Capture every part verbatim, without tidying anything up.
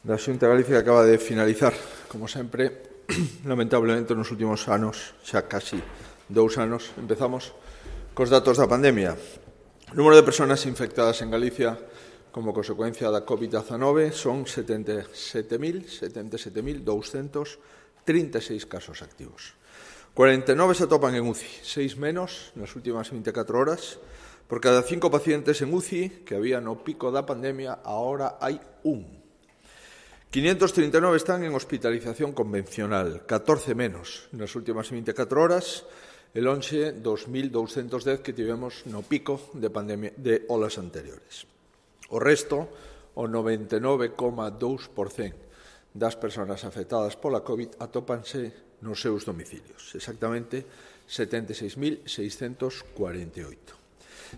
da Xunta de Galicia acaba de finalizar, como sempre, lamentablemente nos últimos anos, xa casi dous anos, empezamos cos datos da pandemia. O número de persoas infectadas en Galicia como consecuencia da COVID diecinueve son setenta e sete mil douscentos trinta e seis casos activos. cuarenta e nove se atopan en U C I, seis menos nas últimas vinte e catro horas. Por cada cinco pacientes en U C I que había no pico da pandemia, ahora hai un. quinientos trinta e nove están en hospitalización convencional, catorce menos nas últimas vinte e catro horas, e lonxe dos mil douscentos dez que tivemos no pico de pandemia de olas anteriores. O resto, o noventa e nove coma dous por cento das persoas afectadas pola COVID atópanse nos seus domicilios, exactamente setenta e seis mil seiscentos cuarenta e oito.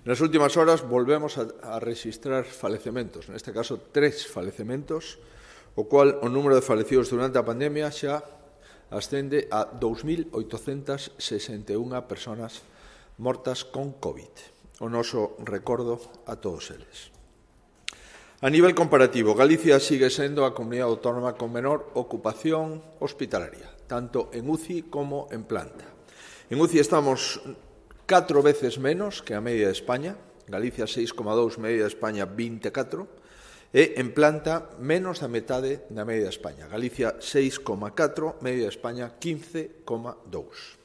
Nas últimas horas volvemos a, a registrar falecementos, neste caso tres falecementos, o cual o número de falecidos durante a pandemia xa ascende a dous mil oitocentas sesenta e unha persoas mortas con COVID. O noso recordo a todos eles. A nivel comparativo, Galicia sigue sendo a comunidade autónoma con menor ocupación hospitalaria, tanto en U C I como en planta. En U C I estamos catro veces menos que a media de España, Galicia seis coma dous, media de España vinte e catro, e en planta menos da metade da media de España, Galicia seis coma catro, media de España quince coma dous.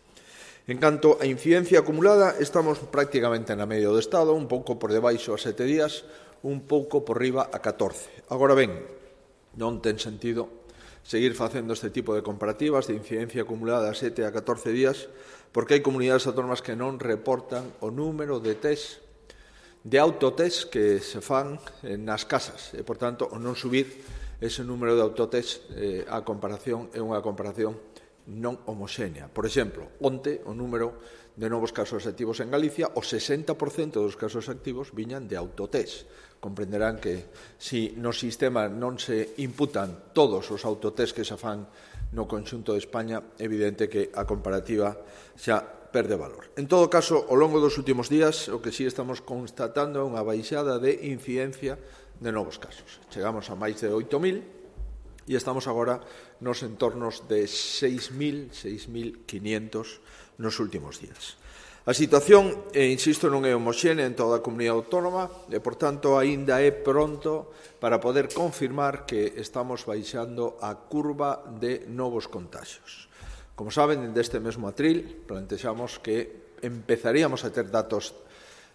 En canto a incidencia acumulada, estamos prácticamente na media do Estado, un pouco por debaixo a sete días, un pouco por riba a catorce. Agora ben, non ten sentido seguir facendo este tipo de comparativas de incidencia acumulada a sete a catorce días, porque hai comunidades autónomas que non reportan o número de test, de autotest que se fan nas casas, e, por tanto, o non subir ese número de autotest eh, a comparación é unha comparación non homoxénea. Por exemplo, onte o número de novos casos activos en Galicia, o sesenta por cento dos casos activos viñan de autotest. Comprenderán que se no sistema non se imputan todos os autotest que se fan no conxunto de España, é evidente que a comparativa xa perde valor. En todo caso, ao longo dos últimos días, o que sí estamos constatando é unha baixada de incidencia de novos casos. Chegamos a máis de oito mil e estamos agora nos entornos de seis mil, seis mil quinientos nos últimos días. A situación, e insisto, non é homoxénea en toda a comunidade autónoma e, por tanto, aínda é pronto para poder confirmar que estamos baixando a curva de novos contagios. Como saben, deste mesmo atril plantexamos que empezaríamos a ter datos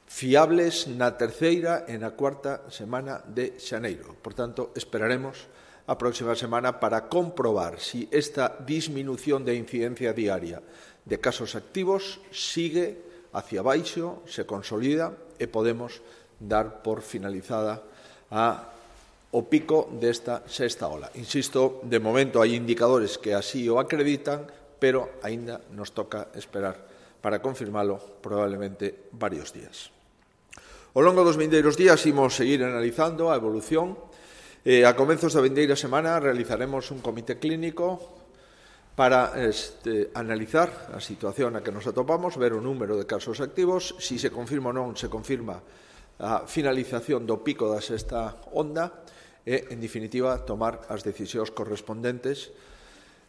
fiables na terceira e na cuarta semana de xaneiro. Por tanto, esperaremos a próxima semana para comprobar si esta disminución de incidencia diaria de casos activos sigue hacia baixo, se consolida e podemos dar por finalizada a, o pico desta sexta ola. Insisto, de momento hai indicadores que así o acreditan, pero aínda nos toca esperar para confirmalo probablemente varios días. Ao longo dos vindeiros días imos seguir analizando a evolución. Eh, a comenzos da vindeira semana realizaremos un comité clínico para este, analizar a situación na que nos atopamos, ver o número de casos activos, si se confirma ou non se confirma a finalización do pico da sexta onda e, en definitiva, tomar as decisións correspondentes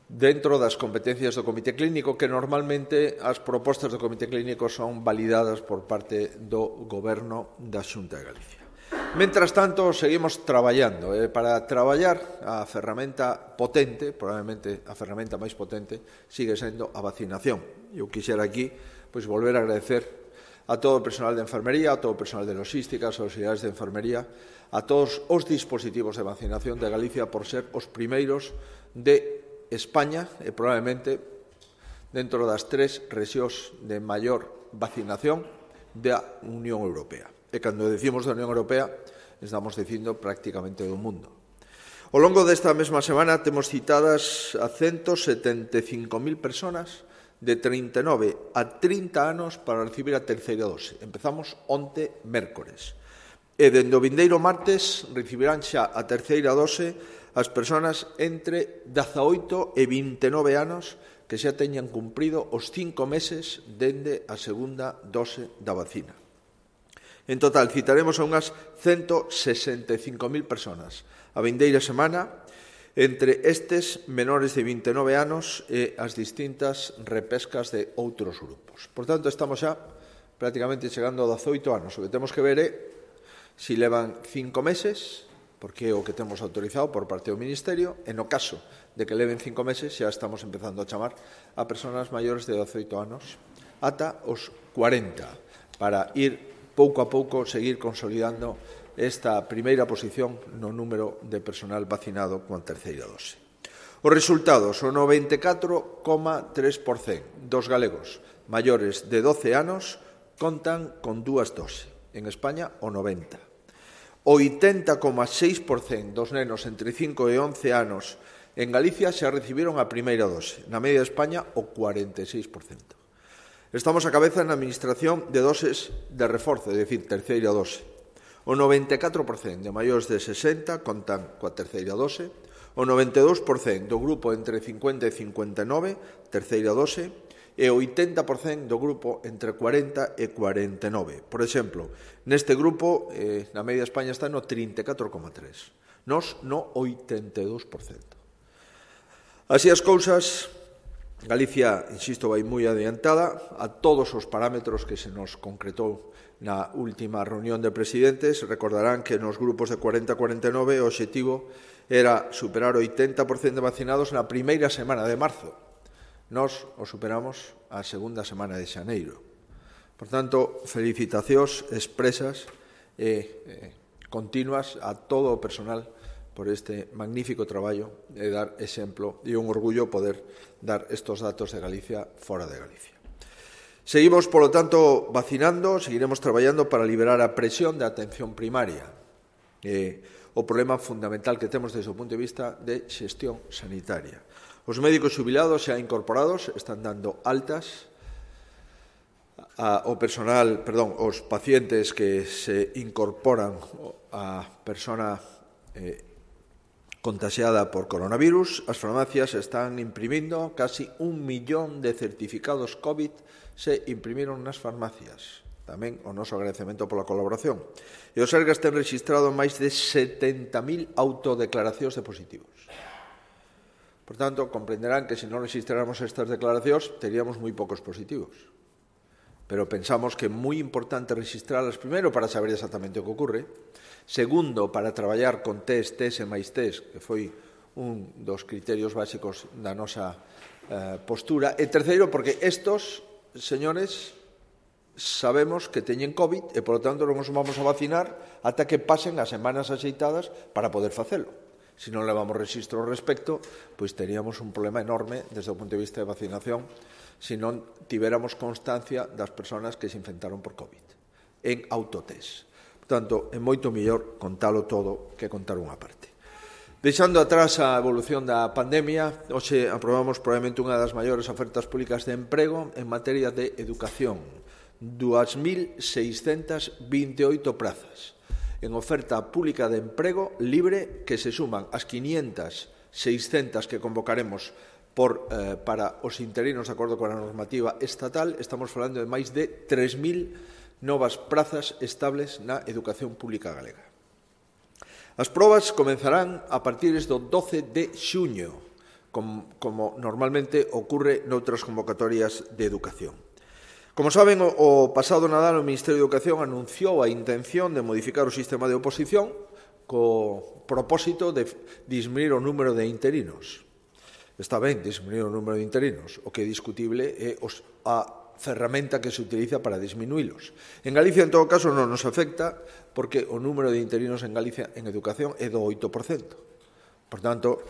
dentro das competencias do comité clínico, que normalmente as propostas do comité clínico son validadas por parte do Goberno da Xunta de Galicia. Mentras tanto, seguimos traballando. Eh, para traballar, a ferramenta potente, probablemente a ferramenta máis potente, sigue sendo a vacinación. Eu quixera aquí pois, volver a agradecer a todo o personal de enfermería, a todo o personal de logística, as auxiliares de enfermería, a todos os dispositivos de vacinación de Galicia por ser os primeiros de España e probablemente dentro das tres rexións de maior vacinación da Unión Europea. E cando decimos da Unión Europea, estamos dicindo prácticamente do mundo. Ao longo desta mesma semana temos citadas a ciento setenta e cinco mil persoas de trinta e nove a trinta anos para recibir a terceira dose. Empezamos onte mércores. E dende o vindeiro martes recibirán xa a terceira dose as persoas entre dezaoito e vinte e nove anos que xa teñan cumprido os cinco meses dende a segunda dose da vacina. En total, citaremos a unhas ciento sesenta e cinco mil persoas a vindeira semana Entre estes, menores de vinte e nove anos e as distintas repescas de outros grupos. Por tanto, estamos xa prácticamente chegando a dezoito anos. O que temos que ver é se levan cinco meses, porque é o que temos autorizado por parte do Ministerio, e no caso de que leven cinco meses xa estamos empezando a chamar a persoas maiores de dezoito anos ata os cuarenta, para ir pouco a pouco seguir consolidando esta primeira posición no número de personal vacinado coa terceira dose. Os resultados, o noventa e catro coma tres por cento dos galegos maiores de doce anos contan con dúas doses. En España, o noventa por cento. O oitenta coma seis por cento dos nenos entre cinco e once anos en Galicia xa recibiron a primeira dose. Na media de España, o cuarenta e seis por cento. Estamos a cabeza na administración de doses de reforzo, é dicir, terceira dose. O noventa e catro por cento de maiores de sesenta contan coa terceira dose, o noventa e dous por cento do grupo entre cincuenta e cincuenta e nove, terceira dose, e o oitenta por cento do grupo entre cuarenta e cuarenta e nove. Por exemplo, neste grupo, eh, na media de España está no trinta e catro coma tres, nos no oitenta e dous por cento. Así as cousas, Galicia, insisto, vai moi adiantada a todos os parámetros que se nos concretou na última reunión de presidentes. Recordarán que nos grupos de cuarenta a cuarenta e nove o obxectivo era superar o oitenta por cento de vacinados na primeira semana de marzo. Nós o superamos a segunda semana de xaneiro. Por tanto, felicitacións expresas e eh, continuas a todo o personal por este magnífico traballo de dar exemplo e un orgullo poder dar estos datos de Galicia fora de Galicia. Seguimos, polo tanto, vacinando, seguiremos traballando para liberar a presión da atención primaria. Eh, o problema fundamental que temos desde o punto de vista de xestión sanitaria. Os médicos xubilados xa incorporados están dando altas ao personal, perdón, os pacientes que se incorporan a persona eh, contagiada por coronavirus. As farmacias están imprimindo casi un millón de certificados COVID, se imprimiron nas farmacias. Tamén o noso agradecemento pola colaboración. E os Sergas ten registrado máis de setenta mil autodeclaracións de positivos. Por tanto, comprenderán que se non registráramos estas declaracións, teríamos moi poucos positivos. Pero pensamos que é moi importante registrarlas, primeiro, para saber exactamente o que ocurre, segundo, para traballar con test, test e máis test, que foi un dos criterios básicos da nosa eh, postura, e terceiro, porque estos señores sabemos que teñen COVID e, por lo tanto, non os vamos a vacinar ata que pasen as semanas axeitadas para poder facelo. Se non levamos registro ao respecto, pois teríamos un problema enorme desde o punto de vista de vacinación se non tivéramos constancia das persoas que se infectaron por COVID en autotest. Por tanto, é moito mellor contalo todo que contar unha parte. Deixando atrás a evolución da pandemia, hoxe aprobamos probablemente unha das maiores ofertas públicas de emprego en materia de educación. dúas mil seiscentas vinte e oito prazas en oferta pública de emprego libre que se suman as quinientas, seiscentas que convocaremos por, eh, para os interinos de acordo con a normativa estatal. Estamos falando de máis de tres mil novas prazas estables na educación pública galega. As probas comenzarán a partir do doce de xuño, como, como normalmente ocurre noutras convocatorias de educación. Como saben, o pasado Nadal o Ministerio de Educación anunciou a intención de modificar o sistema de oposición co propósito de disminuir o número de interinos. Está ben disminuir o número de interinos, o que é discutible é os, a ferramenta que se utiliza para disminuílos. En Galicia, en todo caso, non nos afecta porque o número de interinos en Galicia en educación é do oito por cento. Por tanto,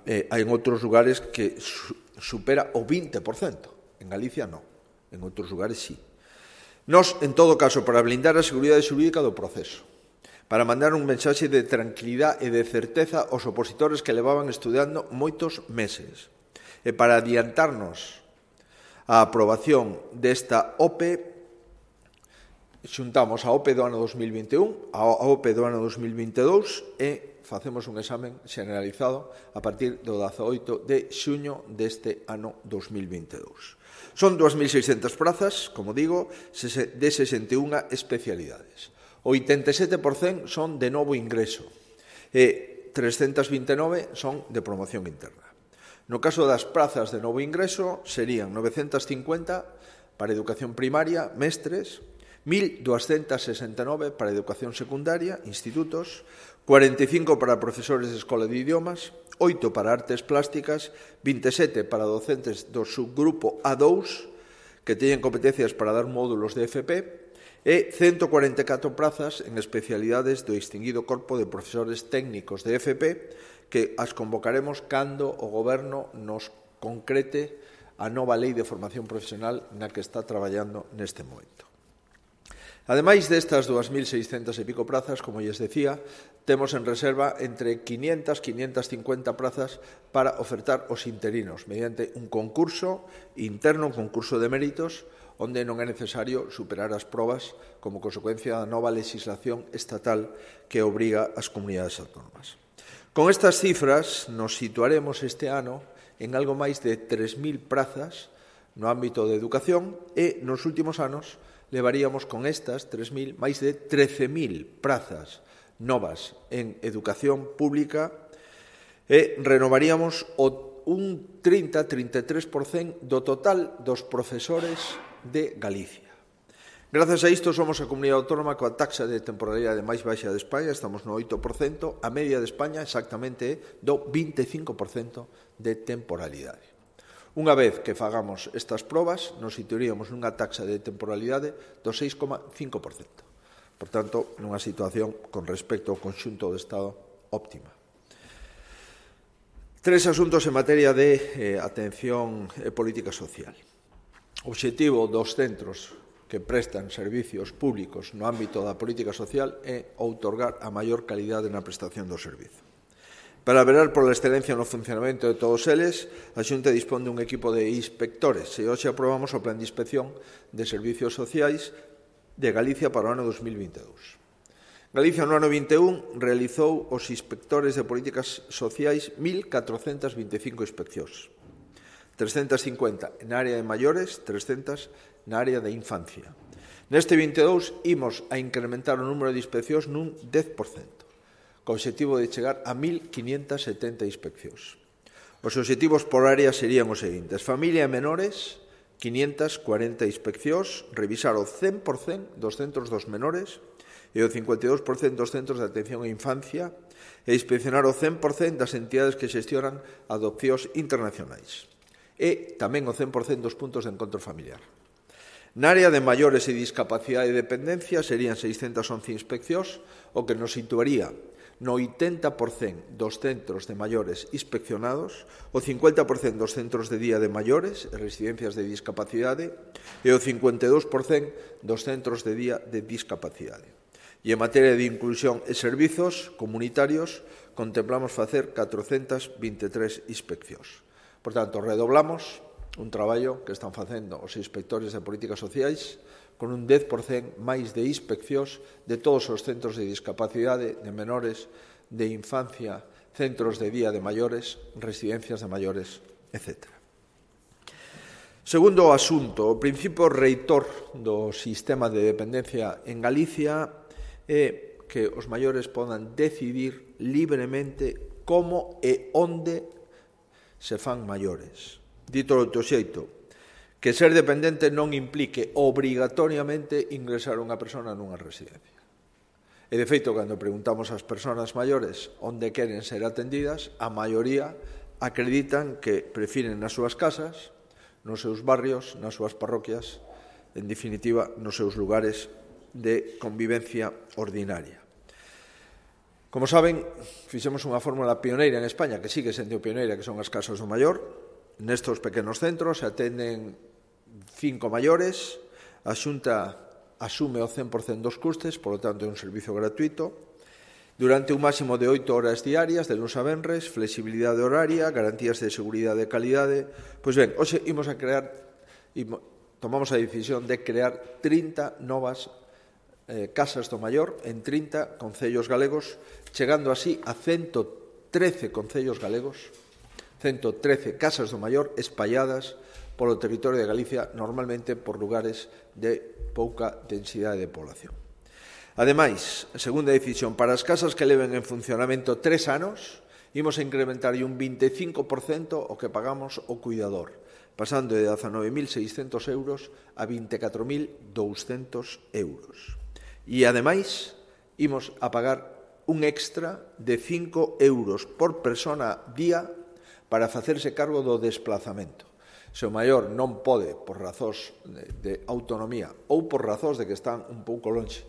eh, hai en outros lugares que su, supera o vinte por cento. En Galicia, non. En outros lugares, sí. Nos, en todo caso, para blindar a seguridade xurídica do proceso, para mandar un mensaxe de tranquilidade e de certeza aos opositores que levaban estudando moitos meses, e para adiantarnos a aprobación desta O P E, xuntamos a O P E do ano dos mil vinte e un, a O P E do ano dos mil vinte e dous e facemos un examen generalizado a partir do dezaoito de xuño deste ano dos mil vinte e dous. Son dúas mil seiscentas prazas, como digo, de sesenta e unha especialidades. O oitenta e sete por cento son de novo ingreso. E trescentas vinte e nove son de promoción interna. No caso das prazas de novo ingreso, serían novecentas cincuenta para educación primaria, mestres, mil doscientas sesenta e nove para educación secundaria, institutos, cuarenta e cinco para profesores de escola de idiomas, oito para artes plásticas, vinte e sete para docentes do subgrupo A dous, que teñen competencias para dar módulos de F P, e ciento cuarenta e catro prazas en especialidades do extinguido corpo de profesores técnicos de F P, que as convocaremos cando o Goberno nos concrete a nova lei de formación profesional na que está traballando neste momento. Ademais destas dúas mil seiscentas e pico prazas, como lles decía, temos en reserva entre quinientas a quinientas cincuenta prazas para ofertar os interinos mediante un concurso interno, un concurso de méritos, onde non é necesario superar as probas como consecuencia da nova legislación estatal que obriga as comunidades autónomas. Con estas cifras nos situaremos este ano en algo máis de tres mil prazas no ámbito de educación e nos últimos anos levaríamos con estas tres mil máis de trece mil prazas novas en educación pública e renovaríamos o un trinta a trinta e tres por cento do total dos profesores de Galicia. Grazas a isto somos a comunidade autónoma coa taxa de temporalidade máis baixa de España, estamos no oito por cento, a media de España exactamente é do vinte e cinco por cento de temporalidade. Unha vez que fagamos estas probas, nos situaríamos nunha taxa de temporalidade do seis coma cinco por cento. Por tanto, nunha situación con respecto ao conxunto do Estado óptima. Tres asuntos en materia de eh, atención e política social. O obxectivo dos centros que prestan servicios públicos no ámbito da política social é outorgar a maior calidade na prestación do servizo. Para velar pola excelencia no funcionamento de todos eles, a Xunta dispón dun equipo de inspectores e hoxe aprobamos o Plan de Inspección de Servicios Sociais de Galicia para o ano dos mil vinte e dous. Galicia no ano vinte e un realizou os inspectores de políticas sociais mil catrocentas vinte e cinco inspeccións, trescentas cincuenta na área de maiores, trescentas na área de infancia. Neste vinte e dous imos a incrementar o número de inspeccións nun dez por cento. Co obxectivo de chegar a mil quinientas setenta inspeccións. Os obxectivos por área serían os seguintes: familia e menores, quinientas cuarenta inspeccións, revisar o cen por cento dos centros dos menores e o cincuenta e dous por cento dos centros de atención á infancia e inspeccionar o cen por cento das entidades que xestionan adopcións internacionais e tamén o cen por cento dos puntos de encontro familiar. Na área de maiores e discapacidade e dependencia serían seiscentas once inspeccións, o que nos situaría no oitenta por cento dos centros de maiores inspeccionados, o cincuenta por cento dos centros de día de maiores e residencias de discapacidade e o cincuenta e dous por cento dos centros de día de discapacidade. E en materia de inclusión e servizos comunitarios contemplamos facer catrocentas vinte e tres inspeccións. Por tanto, redoblamos un traballo que están facendo os inspectores de políticas sociais con un dez por cento máis de inspeccións de todos os centros de discapacidade, de menores, de infancia, centros de día de maiores, residencias de maiores, etcétera. Segundo asunto, o principio reitor do sistema de dependencia en Galicia é que os maiores podan decidir libremente como e onde se fan maiores. Dito do teu xeito, que ser dependente non implique obrigatoriamente ingresar unha persona nunha residencia. E, de feito, cando preguntamos ás persoas maiores onde queren ser atendidas, a maioría acreditan que prefiren nas súas casas, nos seus barrios, nas súas parroquias, en definitiva, nos seus lugares de convivencia ordinaria. Como saben, fixemos unha fórmula pioneira en España, que sigue sendo pioneira, que son as casas do maior. Nestos pequenos centros se atenden cinco maiores, a Xunta asume o cen por cento dos custes, por lo tanto é un servizo gratuito, durante un máximo de oito horas diarias, de luns a venres, flexibilidade horaria, garantías de seguridade e calidade. Pois ben, hoxe imos a crear, tomamos a decisión de crear trinta novas eh, casas do maior en trinta concellos galegos, chegando así a ciento trece concellos galegos, ciento trece casas do maior espalladas polo territorio de Galicia, normalmente por lugares de pouca densidade de población. Ademais, segunda decisión, para as casas que leven en funcionamento tres anos, imos a incrementar un vinte e cinco por cento o que pagamos o cuidador, pasando de dezanove mil seiscentos euros a vinte e catro mil douscentos euros. E, ademais, imos a pagar un extra de cinco euros por persona día para facerse cargo do desplazamento. Se o maior non pode, por razóns de, de autonomía ou por razóns de que están un pouco longe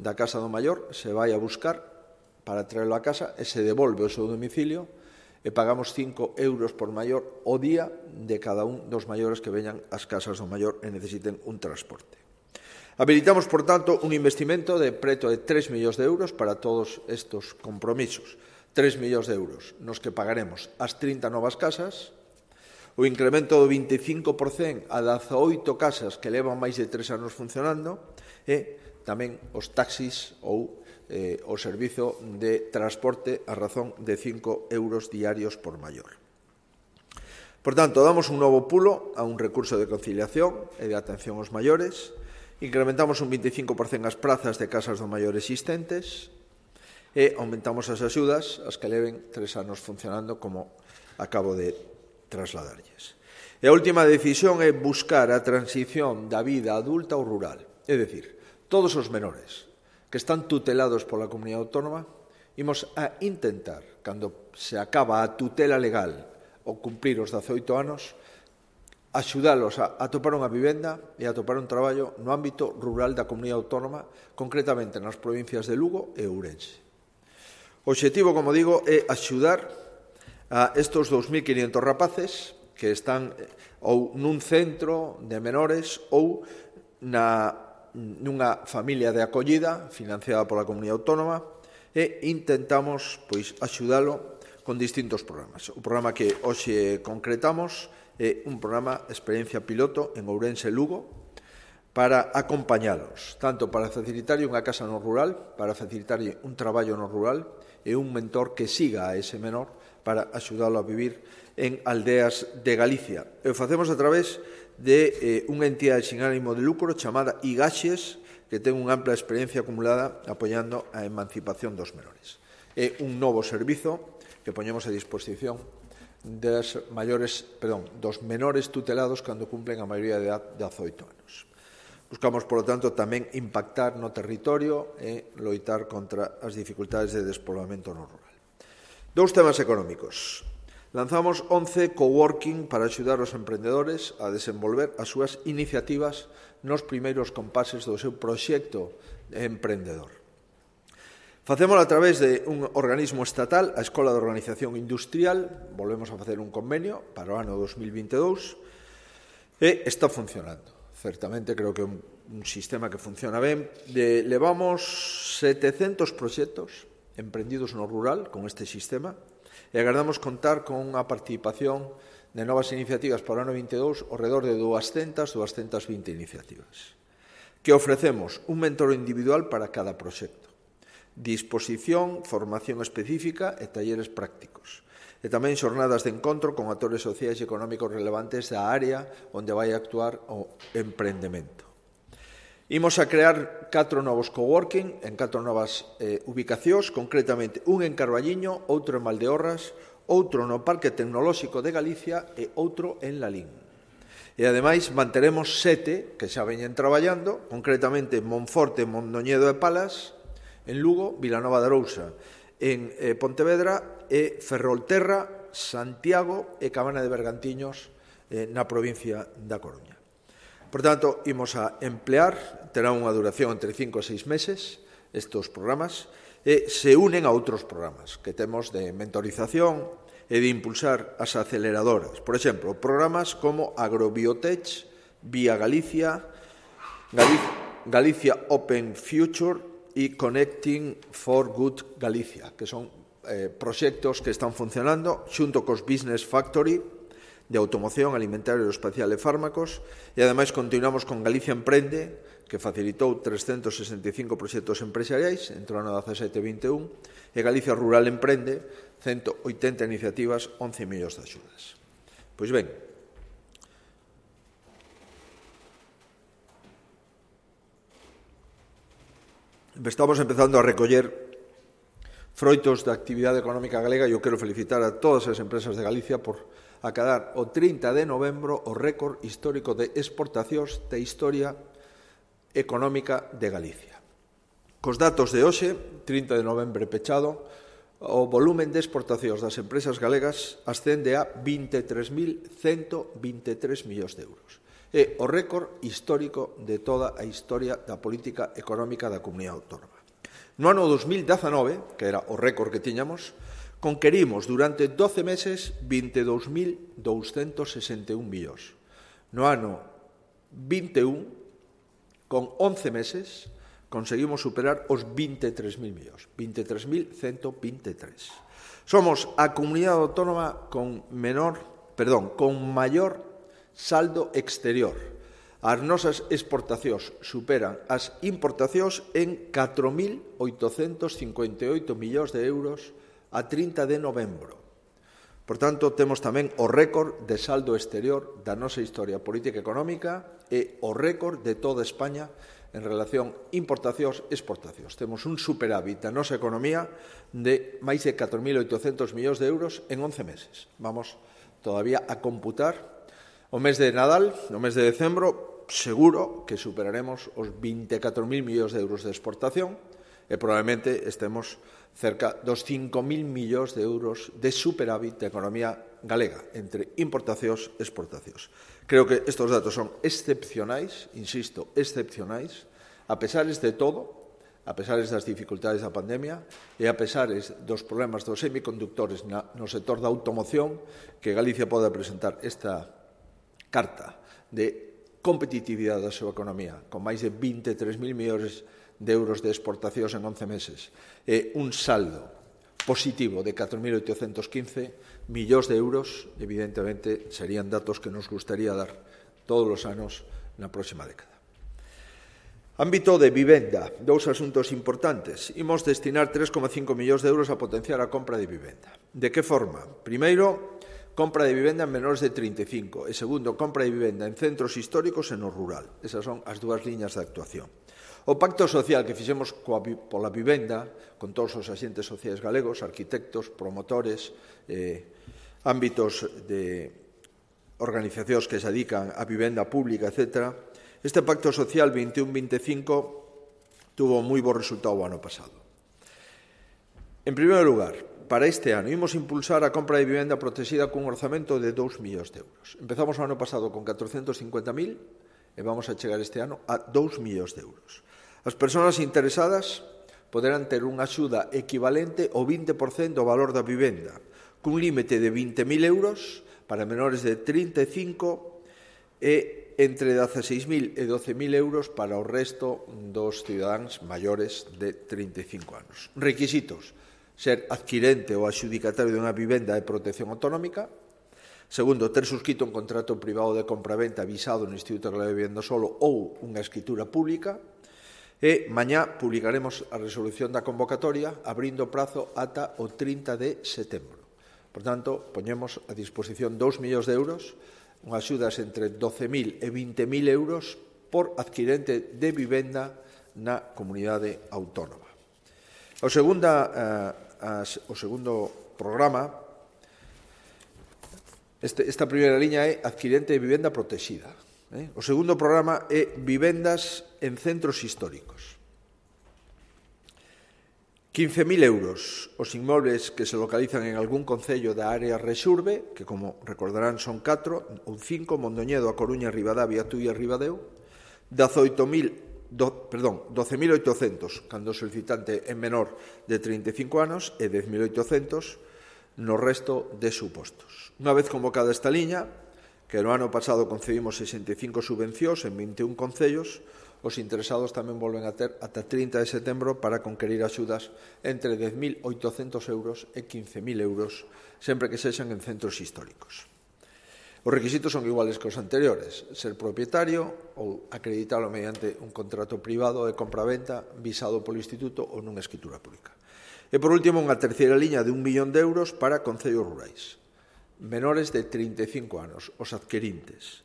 da casa do maior, se vai a buscar para traerlo a casa e se devolve ao seu domicilio e pagamos cinco euros por maior o día de cada un dos maiores que veñan ás casas do maior e necesiten un transporte. Habilitamos, por tanto, un investimento de preto de tres millóns de euros para todos estes compromisos. tres millóns de euros nos que pagaremos as trinta novas casas, o incremento do vinte e cinco por cento a dezaoito casas que levan máis de tres anos funcionando e tamén os taxis ou eh, o servizo de transporte a razón de cinco euros diarios por maior. Por tanto, damos un novo pulo a un recurso de conciliación e de atención aos maiores. Incrementamos un vinte e cinco por cento as prazas de casas do maior existentes e aumentamos as axudas as que leven tres anos funcionando, como acabo de trasladarlles. E a última decisión é buscar a transición da vida adulta ao rural. É dicir, todos os menores que están tutelados pola Comunidade Autónoma, imos a intentar, cando se acaba a tutela legal ou cumprir os dezaoito anos, axudalos a atopar unha vivenda e a atopar un traballo no ámbito rural da Comunidade Autónoma, concretamente nas provincias de Lugo e Ourense. O obxectivo, como digo, é axudar a estes dous mil quinhentos rapaces que están ou nun centro de menores ou na, nunha familia de acollida financiada pola Comunidade Autónoma e intentamos pois axudalo con distintos programas. O programa que hoxe concretamos é un programa experiencia piloto en Ourense e Lugo para acompañalos, tanto para facilitarlle unha casa no rural, para facilitarlle un traballo no rural e un mentor que siga a ese menor para axudalo a vivir en aldeas de Galicia. E o facemos a través de eh, unha entidade sin ánimo de lucro chamada Igaxes, que ten unha ampla experiencia acumulada apoiando a emancipación dos menores. É un novo servizo que poñemos a disposición das maiores, perdón, dos menores tutelados cando cumplen a maioría de edad de dezaoito anos. Buscamos, por lo tanto, tamén impactar no territorio e loitar contra as dificultades de despoboamento no rural. Dous temas económicos. Lanzamos once coworking para axudar os emprendedores a desenvolver as súas iniciativas nos primeiros compases do seu proxecto emprendedor. Facémolo a través de un organismo estatal, a Escola de Organización Industrial. Volvemos a facer un convenio para o ano dos mil vinte e dous e está funcionando. Certamente creo que é un, un sistema que funciona ben. De, levamos setecentos proxectos emprendidos no rural con este sistema e agardamos contar con unha participación de novas iniciativas para o ano vinte e dous ao redor de doscientas, doscientas vinte iniciativas. Que ofrecemos un mentor individual para cada proxecto, disposición, formación específica e talleres prácticos. E tamén xornadas de encontro con actores sociais e económicos relevantes da área onde vai actuar o emprendemento. Imos a crear catro novos coworking en catro novas eh, ubicacións, concretamente un en Carballiño, outro en Valdeorras, outro no Parque Tecnolóxico de Galicia e outro en Lalín. E, ademais, manteremos sete que xa veñen traballando, concretamente Monforte, Mondoñedo e Palas, en Lugo, Vilanova de Arousa, en eh, Pontevedra e Ferrolterra, Santiago e Cabana de Bergantiños eh, na provincia da Coruña. Por tanto, imos a emplear, terá unha duración entre cinco e seis meses, estes programas, e se unen a outros programas que temos de mentorización e de impulsar as aceleradoras. Por exemplo, programas como Agrobiotech, Vía Galicia, Galicia Open Future e Connecting for Good Galicia, que son eh, proxectos que están funcionando xunto cos Business Factory de automoción, alimentario, aeroespacial e fármacos, e ademais continuamos con Galicia Emprende, que facilitou trescentos sesenta e cinco proxectos empresariais entre o ano dezasete e vinte e un, e Galicia Rural Emprende, cento oitenta iniciativas, once millóns de axudas. Pois ben, estamos empezando a recoller froitos da actividade económica galega e eu quero felicitar a todas as empresas de Galicia por acadar o trinta de novembro o récord histórico de exportacións da historia económica de Galicia. Cos datos de hoxe, trinta de novembro pechado, o volumen de exportacións das empresas galegas ascende a vinte e tres mil ciento vinte e tres millóns de euros. É o récord histórico de toda a historia da política económica da Comunidade Autónoma. No ano dos mil dezanove, que era o récord que tiñamos, conquerimos durante doce meses vinte e dous mil douscentos sesenta e un millóns. No ano vinte e un, con once meses, conseguimos superar os vinte e tres mil millóns, vinte e tres mil ciento vinte e tres. Somos a comunidade autónoma con menor, perdón, con maior saldo exterior. As nosas exportacións superan as importacións en catro mil oitocentos cincuenta e oito millóns de euros a trinta de novembro. Por tanto, temos tamén o récord de saldo exterior da nosa historia política e económica e o récord de toda España en relación importacións e exportacións. Temos un superávit da nosa economía de máis de catro mil oitocentos millóns de euros en once meses. Vamos todavía a computar o mes de Nadal, no mes de decembro, seguro que superaremos os vinte e catro mil millóns de euros de exportación e probablemente estemos cerca dos cinco mil millóns de euros de superávit da economía galega entre importacións e exportacións. Creo que estes datos son excepcionais, insisto, excepcionais, a pesares de todo, a pesares das dificultades da pandemia e a pesares dos problemas dos semiconductores no sector da automoción, que Galicia pode presentar esta carta de competitividade da súa economía, con máis de vinte e tres mil millóns de euros de exportacións en once meses, e un saldo positivo de catro mil oitocentos quince millóns de euros, evidentemente, serían datos que nos gustaría dar todos os anos na próxima década. Ámbito de vivenda, dous asuntos importantes. Imos destinar tres coma cinco millóns de euros a potenciar a compra de vivenda. De que forma? Primeiro, compra de vivenda en menores de trinta e cinco e, segundo, compra de vivenda en centros históricos e no rural. Esas son as dúas liñas de actuación. O pacto social que fixemos coa, pola vivenda, con todos os axentes sociais galegos, arquitectos, promotores, eh, ámbitos de organizacións que se dedican a vivenda pública, etcétera. Este pacto social vinte e un vinte e cinco tuvo moi bo resultado o ano pasado. En primeiro lugar, para este ano, imos impulsar a compra de vivenda protexida cun orzamento de dous millóns de euros. Empezamos o ano pasado con catrocentos cincuenta mil e vamos a chegar este ano a dous millóns de euros. As persoas interesadas poderán ter unha axuda equivalente ao vinte por cento do valor da vivenda, cun límite de vinte mil euros para menores de trinta e cinco e entre dezaseis mil e doce mil euros para o resto dos cidadáns maiores de trinta e cinco anos. Requisitos: ser adquirente ou adxudicatario dunha vivenda de protección autonómica. Segundo, ter suscrito un contrato privado de compra-venta avisado no Instituto Galego de Vivenda Solo ou unha escritura pública. E mañá publicaremos a resolución da convocatoria abrindo prazo ata o trinta de setembro. Por tanto, poñemos a disposición dous millóns de euros, unhas axudas entre doce mil e vinte mil euros por adquirente de vivenda na comunidade autónoma. O, segunda, eh, as, o segundo programa, este, esta primeira liña é adquirente de vivenda protexida. Eh? O segundo programa é vivendas en centros históricos. quince mil euros os inmobles que se localizan en algún concello da área Rexurbe, que, como recordarán, son catro ou cinco: Mondoñedo, A Coruña, Ribadavia, Tui e Ribadeo. dezaoito mil, do, perdón, doce mil oitocentos cando o solicitante é menor de trinta e cinco anos e dez mil oitocentos no resto de supostos. Unha vez convocada esta liña, que no ano pasado concedimos sesenta e cinco subvencións en vinte e un concellos, os interesados tamén volven a ter ata trinta de setembro para conquerir axudas entre dez mil oitocentos euros e quince mil euros, sempre que sexan en centros históricos. Os requisitos son iguales que os anteriores: ser propietario ou acreditalo mediante un contrato privado de compra-venta visado polo Instituto ou nunha escritura pública. E, por último, unha terceira liña de un millón de euros para concellos rurais. Menores de trinta e cinco anos, os adquirintes.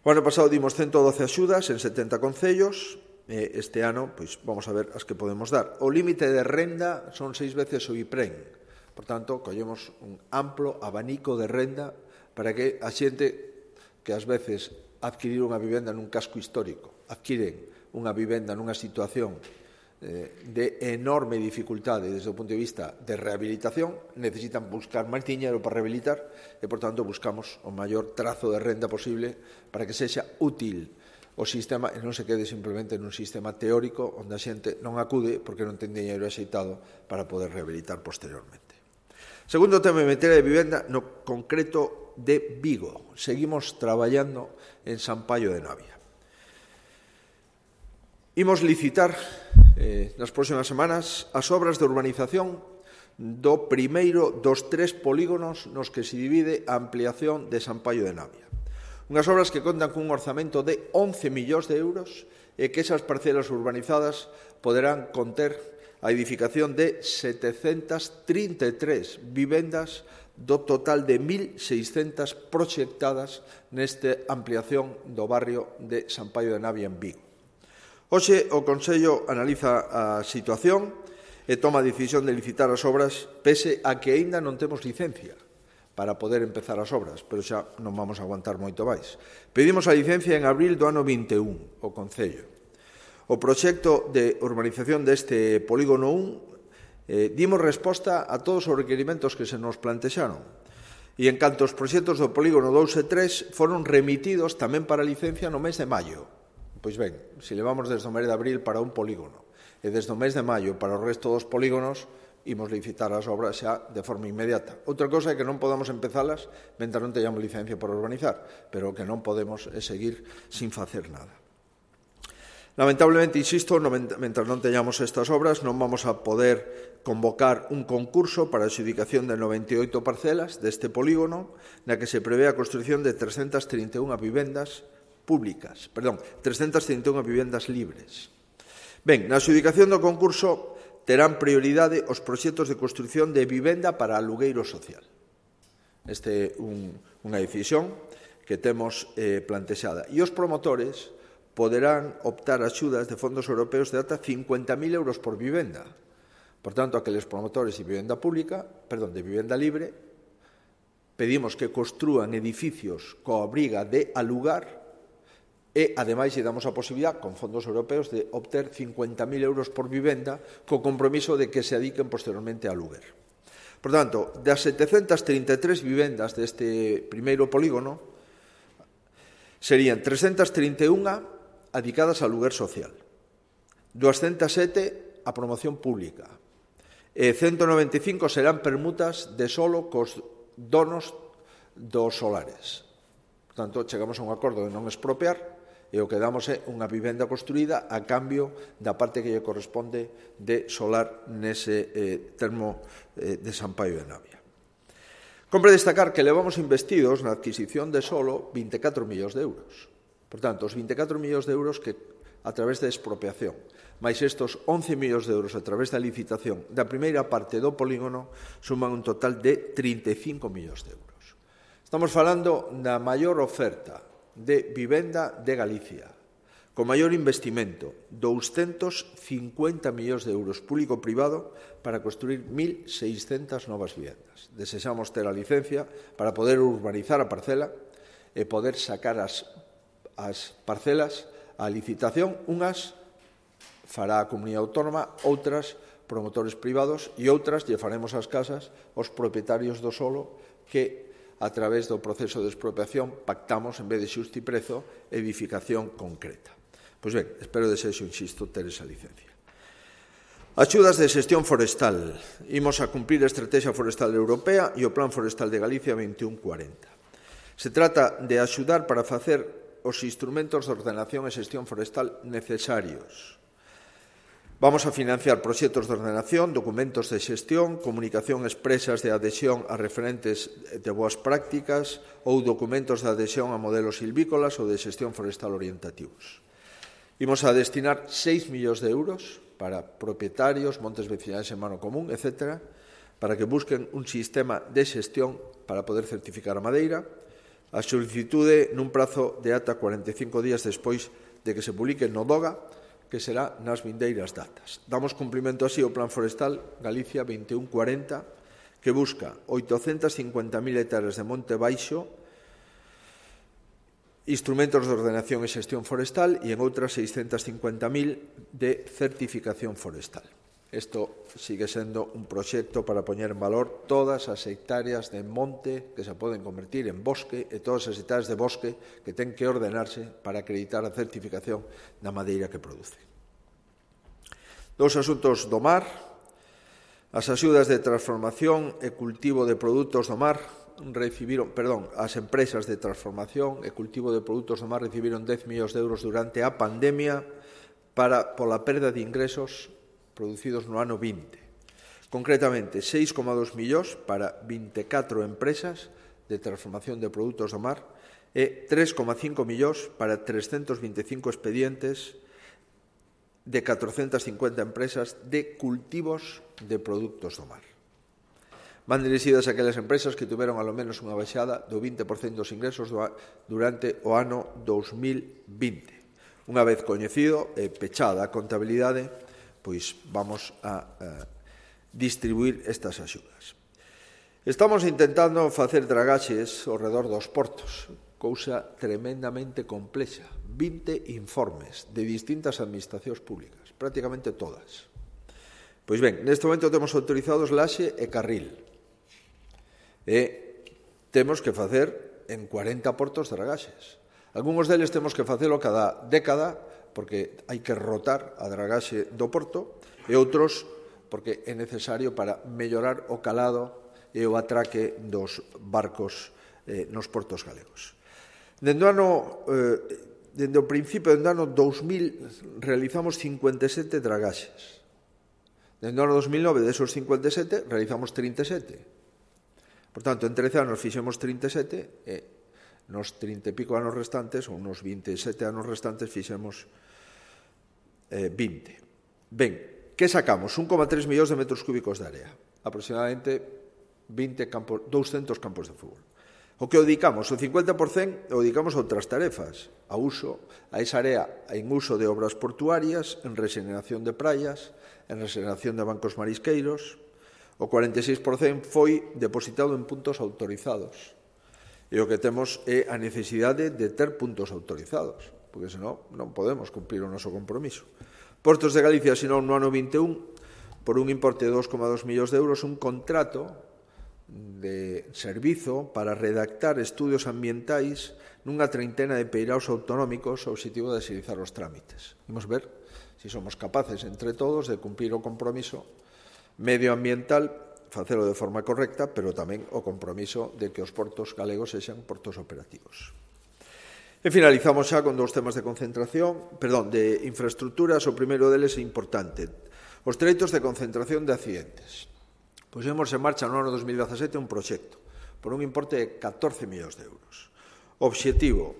O ano pasado dimos ciento doce axudas en setenta concellos este ano pois vamos a ver as que podemos dar. O límite de renda son seis veces o IPREN. Por tanto, collemos un amplo abanico de renda para que a xente que ás veces adquirir unha vivenda nun casco histórico, adquiren unha vivenda nunha situación de enorme dificultade desde o punto de vista de rehabilitación, necesitan buscar máis diñeiro para rehabilitar e, por tanto, buscamos o maior trazo de renda posible para que sexa útil o sistema e non se quede simplemente nun sistema teórico onde a xente non acude porque non ten diñeiro axeitado para poder rehabilitar posteriormente. Segundo tema, en materia de vivenda, no concreto de Vigo. Seguimos traballando en San Paio de Navia. Imos licitar eh, nas próximas semanas as obras de urbanización do primeiro dos tres polígonos nos que se divide a ampliación de San Paio de Navia. Unhas obras que contan cun orzamento de once millóns de euros e que esas parcelas urbanizadas poderán conter a edificación de setecentas trinta e tres vivendas do total de mil seiscentas proxectadas nesta ampliación do barrio de San Paio de Navia en Vigo. Hoxe o Consello analiza a situación e toma a decisión de licitar as obras pese a que aínda non temos licencia para poder empezar as obras, pero xa non vamos a aguantar moito máis. Pedimos a licencia en abril do ano vinte e un, o Concello. O proxecto de urbanización deste polígono un eh, dimos resposta a todos os requerimentos que se nos plantexaron. E en canto os proxectos do polígono dous e tres foron remitidos tamén para licencia no mes de maio. Pois ben, se levamos desde o mes de abril para un polígono e desde o mes de maio para o resto dos polígonos, imos licitar as obras xa de forma inmediata. Outra cosa é que non podamos empezalas mentre non teñamos licencia para urbanizar, pero o que non podemos é seguir sin facer nada. Lamentablemente, insisto, mentre non teñamos estas obras non vamos a poder convocar un concurso para a adxudicación de noventa e oito parcelas deste polígono na que se prevé a construción de trescentas trinta e unha vivendas públicas, perdón, trescentas trinta e unha vivendas libres. Ben, na adxudicación do concurso terán prioridade os proxectos de construción de vivenda para alugueiro social. Esta é un, unha decisión que temos eh, plantexada. E os promotores poderán optar a axudas de fondos europeos de ata cincuenta mil euros por vivenda. Por tanto, aqueles promotores de vivenda pública, perdón, de vivenda libre, pedimos que construan edificios coa obriga de alugar e, ademais, lle damos a posibilidad, con fondos europeos, de obter cincuenta mil euros por vivenda co compromiso de que se adiquen posteriormente a aluguer. Por tanto, das setecentas trinta e tres vivendas deste primeiro polígono, serían trescentas trinta e unha adicadas a aluguer social, duascentas sete a promoción pública, e ciento noventa e cinco serán permutas de solo cos donos dos solares. Por tanto, chegamos a un acordo de non expropiar e o que damos é unha vivenda construída a cambio da parte que lle corresponde de solar nese eh, termo eh, de San Paio de Navia. Compre destacar que levamos investidos na adquisición de solo vinte e catro millóns de euros. Por tanto, os vinte e catro millóns de euros que a través da expropiación, máis estos once millóns de euros a través da licitación da primeira parte do polígono suman un total de trinta e cinco millóns de euros. Estamos falando da maior oferta de vivenda de Galicia, con maior investimento, doscientos cincuenta millóns de euros público-privado para construir mil seiscentas novas vivendas. Desexamos ter a licencia para poder urbanizar a parcela e poder sacar as, as parcelas a licitación. Unhas fará a comunidade autónoma, outras promotores privados e outras lle faremos as casas aos propietarios do solo que a través do proceso de expropiación pactamos, en vez de xustiprezo, edificación concreta. Pois ben, espero desexo, insisto, ter esa licencia. Axudas de xestión forestal. Imos a cumprir a Estrategia Forestal Europea e o Plan Forestal de Galicia veintiún cuarenta. Se trata de axudar para facer os instrumentos de ordenación e xestión forestal necesarios. Vamos a financiar proxectos de ordenación, documentos de xestión, comunicación expresas de adhesión a referentes de boas prácticas ou documentos de adhesión a modelos silvícolas ou de xestión forestal orientativos. Imos a destinar seis millóns de euros para propietarios, montes vecinais en mano común, etcétera, para que busquen un sistema de xestión para poder certificar a madeira. A solicitude nun prazo de ata cuarenta e cinco días despois de que se publique no DOGA, que será nas vindeiras datas. Damos cumprimento así ao Plan Forestal Galicia veintiún cuarenta, que busca oitocentas cincuenta mil hectáreas de monte baixo, instrumentos de ordenación e xestión forestal e en outras seiscentas cincuenta mil de certificación forestal. Isto sigue sendo un proxecto para poñer en valor todas as hectáreas de monte que se poden convertir en bosque e todas as hectáreas de bosque que ten que ordenarse para acreditar a certificación da madeira que produce. Dous asuntos do mar. As axudas de transformación e cultivo de produtos do mar recibiron, perdón, as empresas de transformación e cultivo de produtos do mar recibiron dez millóns de euros durante a pandemia para, pola perda de ingresos producidos no ano vinte. Concretamente, seis coma dos millóns para vinte e catro empresas de transformación de produtos do mar e tres coma cinco millóns para trescentos vinte e cinco expedientes de catrocentas cincuenta empresas de cultivos de produtos do mar. Van dirixidas a aquelas empresas que tiveron alo menos unha baixada do vinte por cento dos ingresos durante o ano dous mil vinte. Unha vez coñecido e pechada a contabilidade, pois vamos a, a distribuir estas axudas. Estamos intentando facer dragaxes ao redor dos portos, cousa tremendamente complexa. vinte informes de distintas administracións públicas, prácticamente todas. Pois ben, neste momento temos autorizados Laxe e Carril. E temos que facer en cuarenta portos dragaxes. Algúns deles temos que facelo cada década, porque hai que rotar a dragaxe do porto, e outros porque é necesario para mellorar o calado e o atraque dos barcos eh, nos portos galegos. Dende o ano, eh, dende o principio do ano dous mil realizamos cincuenta e sete dragaxes. Dende o ano dos mil nove, desos cincuenta e sete, realizamos trinta e sete. Por tanto, en trece anos fixemos trinta e sete e nos trinta e pico anos restantes, ou nos vinte e sete anos restantes, fixemos eh, vinte. Ben, que sacamos? un coma tres millóns de metros cúbicos de area, aproximadamente vinte campos, douscentos campos de fútbol. O que o dedicamos, o cincuenta por cento o dedicamos a outras tarefas, a uso, a esa área en uso de obras portuarias, en regeneración de praias, en regeneración de bancos marisqueiros. O cuarenta e seis por cento foi depositado en puntos autorizados. E o que temos é a necesidade de ter puntos autorizados, porque senón non podemos cumprir o noso compromiso. Portos de Galicia asinou no ano vinte e un, por un importe de dos coma dos millóns de euros, un contrato de servizo para redactar estudios ambientais nunha treintena de peiraos autonómicos ao obxectivo de agilizar os trámites. Vamos ver se somos capaces entre todos de cumprir o compromiso medioambiental, facelo de forma correcta, pero tamén o compromiso de que os portos galegos sexan portos operativos. E finalizamos xa con dous temas de concentración, perdón, de infraestructuras. O primeiro deles é importante. Os treitos de concentración de accidentes. Pusemos en marcha no ano dos mil dezasete un proxecto por un importe de catorce millóns de euros. Obxectivo,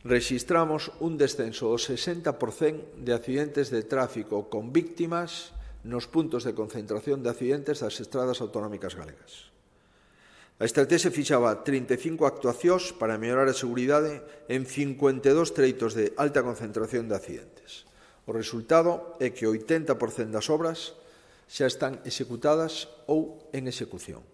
rexistramos un descenso do sesenta por cento de accidentes de tráfico con víctimas nos puntos de concentración de accidentes das estradas autonómicas galegas. A estrategia fixaba trinta e cinco actuacións para mellorar a seguridade en cincuenta e dous treitos de alta concentración de accidentes. O resultado é que o oitenta por cento das obras xa están executadas ou en execución.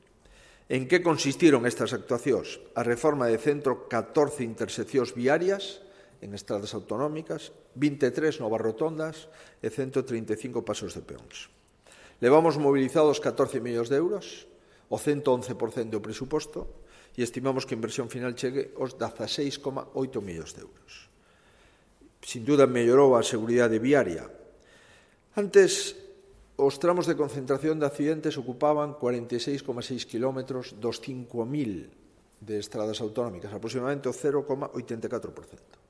En que consistiron estas actuacións? A reforma de centro catorce interseccións viarias en estradas autonómicas, vinte e tres novas rotondas e ciento trinta e cinco pasos de peóns. Levamos movilizados catorce millóns de euros, o ciento once por cento do presuposto, e estimamos que a inversión final chegue aos dezaseis coma oito millóns de euros. Sin duda mellorou a seguridade viaria. Antes, os tramos de concentración de accidentes ocupaban cuarenta e seis coma seis kilómetros dos cinco mil de estradas autonómicas, aproximadamente o cero coma oitenta e catro por cento.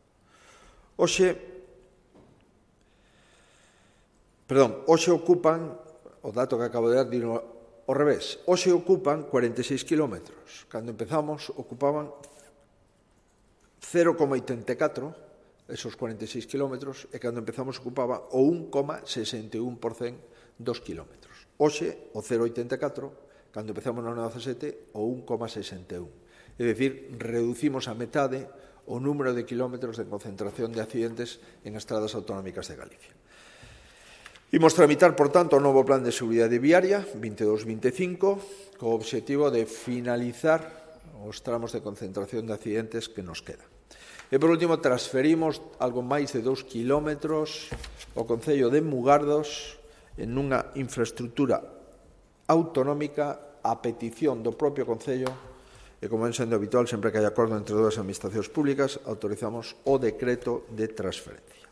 Hoxe, perdón, hoxe ocupan, o dato que acabo de dar, dino ao revés, hoxe ocupan cuarenta e seis kilómetros. Cando empezamos, ocupaban cero coma oitenta e catro, esos cuarenta e seis kilómetros, e cando empezamos ocupaba o un coma sesenta e un por cento dos kilómetros. Hoxe, o cero coma oitenta e catro, cando empezamos no ano dezasete, o un coma sesenta e un. É dicir, reducimos a metade o número de kilómetros de concentración de accidentes en estradas autonómicas de Galicia. Imos tramitar, por tanto, o novo Plan de Seguridade Viaria veintidós veinticinco co obxectivo de finalizar os tramos de concentración de accidentes que nos quedan. E, por último, transferimos algo máis de dous kilómetros ao Concello de Mugardos en unha infraestructura autonómica a petición do propio Concello e, como ven sendo habitual, sempre que hai acordo entre dúas administracións públicas, autorizamos o decreto de transferencia.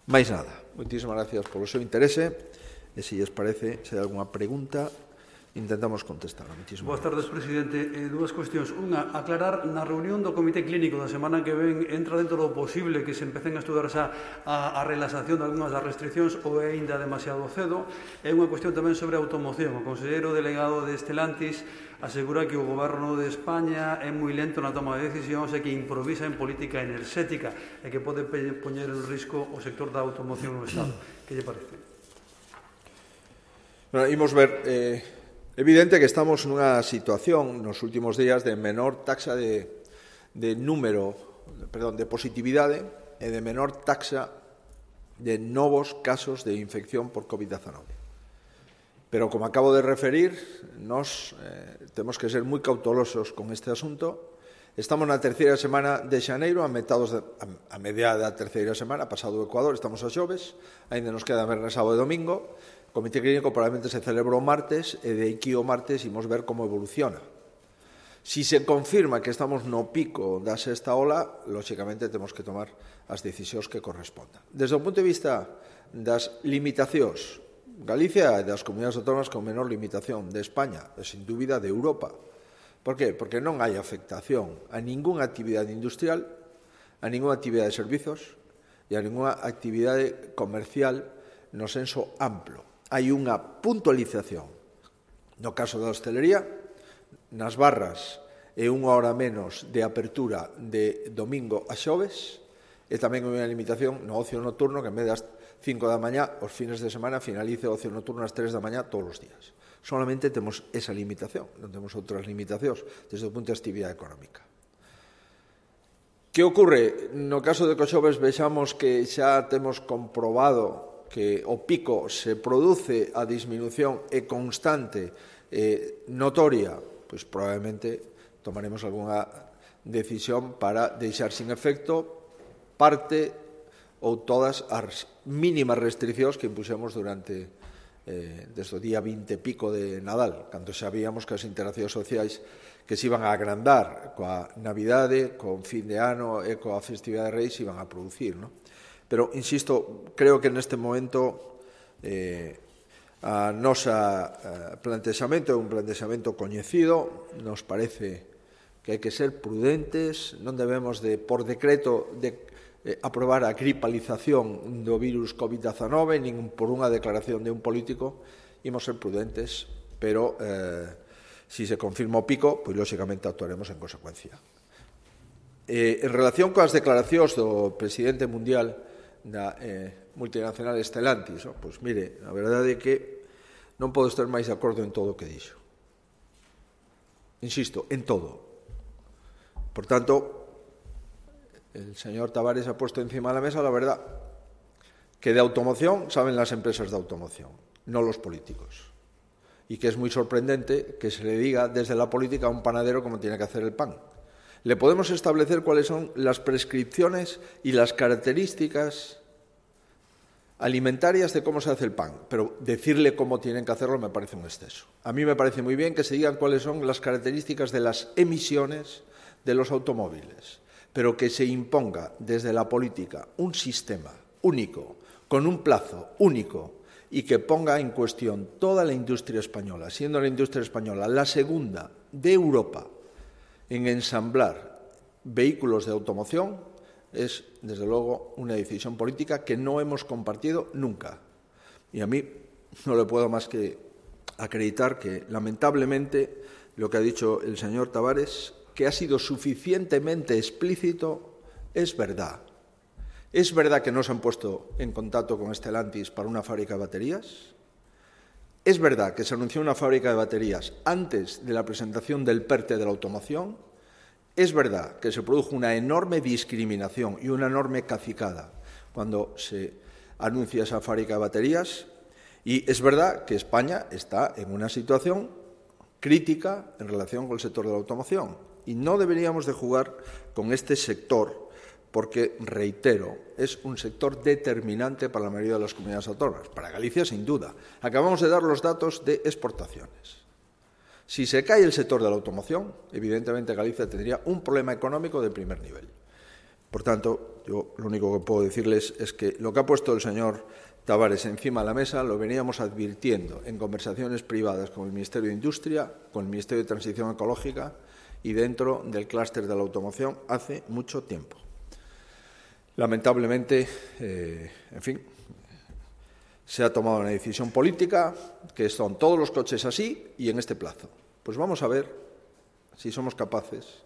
Máis nada. Moitísimas gracias polo seu interese e, se lles parece, se hai algunha pregunta, intentamos contestar. Boas tardes, presidente. Eh, dúas cuestións. Unha, aclarar, na reunión do Comité Clínico da semana que ven entra dentro do posible que se empecen a estudar xa a, a relaxación de algunhas das restriccións ou é ainda demasiado cedo. É unha cuestión tamén sobre a automoción. O conselleiro delegado de Stellantis asegura que o Goberno de España é moi lento na toma de decisións e que improvisa en política enerxética e que pode poñer en risco o sector da automoción no Estado. Que lle parece? Bueno, imos ver... Eh... Evidente que estamos nunha situación nos últimos días de menor taxa de, de número, perdón, de positividade e de menor taxa de novos casos de infección por COVID diecinueve. Pero, como acabo de referir, nos eh, temos que ser moi cautelosos con este asunto. Estamos na terceira semana de xaneiro, a, metados de, a, a mediada da terceira semana, pasado o Ecuador, estamos a xoves, ainda nos queda venres, sábado e domingo. O Comité Clínico probablemente se celebra o martes e de aquí o martes imos ver como evoluciona. Si se confirma que estamos no pico da sexta ola, lóxicamente temos que tomar as decisións que correspondan. Desde o punto de vista das limitacións, Galicia é das comunidades autónomas con menor limitación de España, e sin dúbida de Europa. Por qué? Porque non hai afectación a ningunha actividade industrial, a ningunha actividade de servizos e a ningunha actividade comercial no senso amplo. Hai unha puntualización. No caso da hostelería, nas barras é unha hora menos de apertura de domingo a xoves e tamén hai unha limitación no ocio nocturno que en vez das cinco da mañá, os fines de semana, finalice o ocio nocturno ás tres da mañá todos os días. Solamente temos esa limitación, non temos outras limitacións desde o punto de actividade económica. Que ocorre? No caso de que os xoves vexamos que xa temos comprobado que o pico se produce a disminución é constante, e notoria, pois probablemente tomaremos algunha decisión para deixar sin efecto parte ou todas as mínimas restriccións que impuxemos durante eh, desde o día vinte e pico de Nadal, cando sabíamos que as interaccións sociais que se iban a agrandar coa Navidade, con fin de ano e coa festividade de Reis iban a producir, non? Pero, insisto, creo que neste momento eh, a nosa eh, plantexamento é un plantexamento coñecido, nos parece que hai que ser prudentes, non debemos de, por decreto, de eh, aprobar a gripalización do virus COVID diecinueve, nin por unha declaración de un político, imos ser prudentes, pero eh, si se confirma o pico, pois lóxicamente actuaremos en consecuencia. Eh, en relación coas declaracións do presidente mundial da eh, multinacional Stellantis, oh, pois mire, a verdade é que non podo estar máis de acordo en todo o que dixo. Insisto, en todo. Por tanto, el señor Tavares ha puesto encima de la mesa la verdad, que de automoción saben las empresas de automoción, no los políticos. Y que es muy sorprendente que se le diga desde la política a un panadero cómo tiene que hacer el pan. Le podemos establecer cuáles son las prescripciones y las características alimentarias de cómo se hace el pan, pero decirle cómo tienen que hacerlo me parece un exceso. A mí me parece muy bien que se digan cuáles son las características de las emisiones de los automóviles, pero que se imponga desde la política un sistema único, con un plazo único, y que ponga en cuestión toda la industria española, siendo la industria española la segunda de Europa en ensamblar vehículos de automoción, es, desde luego, una decisión política que no hemos compartido nunca. Y a mí no le puedo más que acreditar que, lamentablemente, lo que ha dicho el señor Tavares, que ha sido suficientemente explícito, es verdad. ¿Es verdad que no se han puesto en contacto con Stellantis para una fábrica de baterías? ¿Es verdad que se anunció una fábrica de baterías antes de la presentación del PERTE de la automoción? ¿Es verdad que se produjo una enorme discriminación y una enorme cacicada cuando se anuncia esa fábrica de baterías? Y es verdad que España está en una situación crítica en relación con el sector de la automoción y no deberíamos de jugar con este sector porque, reitero, es un sector determinante para la mayoría de las comunidades autónomas. Para Galicia, sin duda. Acabamos de dar los datos de exportaciones. Si se cae el sector de la automoción, evidentemente Galicia tendría un problema económico de primer nivel. Por tanto, yo lo único que puedo decirles es que lo que ha puesto el señor Tavares encima de la mesa lo veníamos advirtiendo en conversaciones privadas con el Ministerio de Industria, con el Ministerio de Transición Ecológica y dentro del clúster de la automoción hace mucho tiempo. Lamentablemente, eh, en fin, se ha tomado una decisión política que son todos los coches así y en este plazo. Pues vamos a ver si somos capaces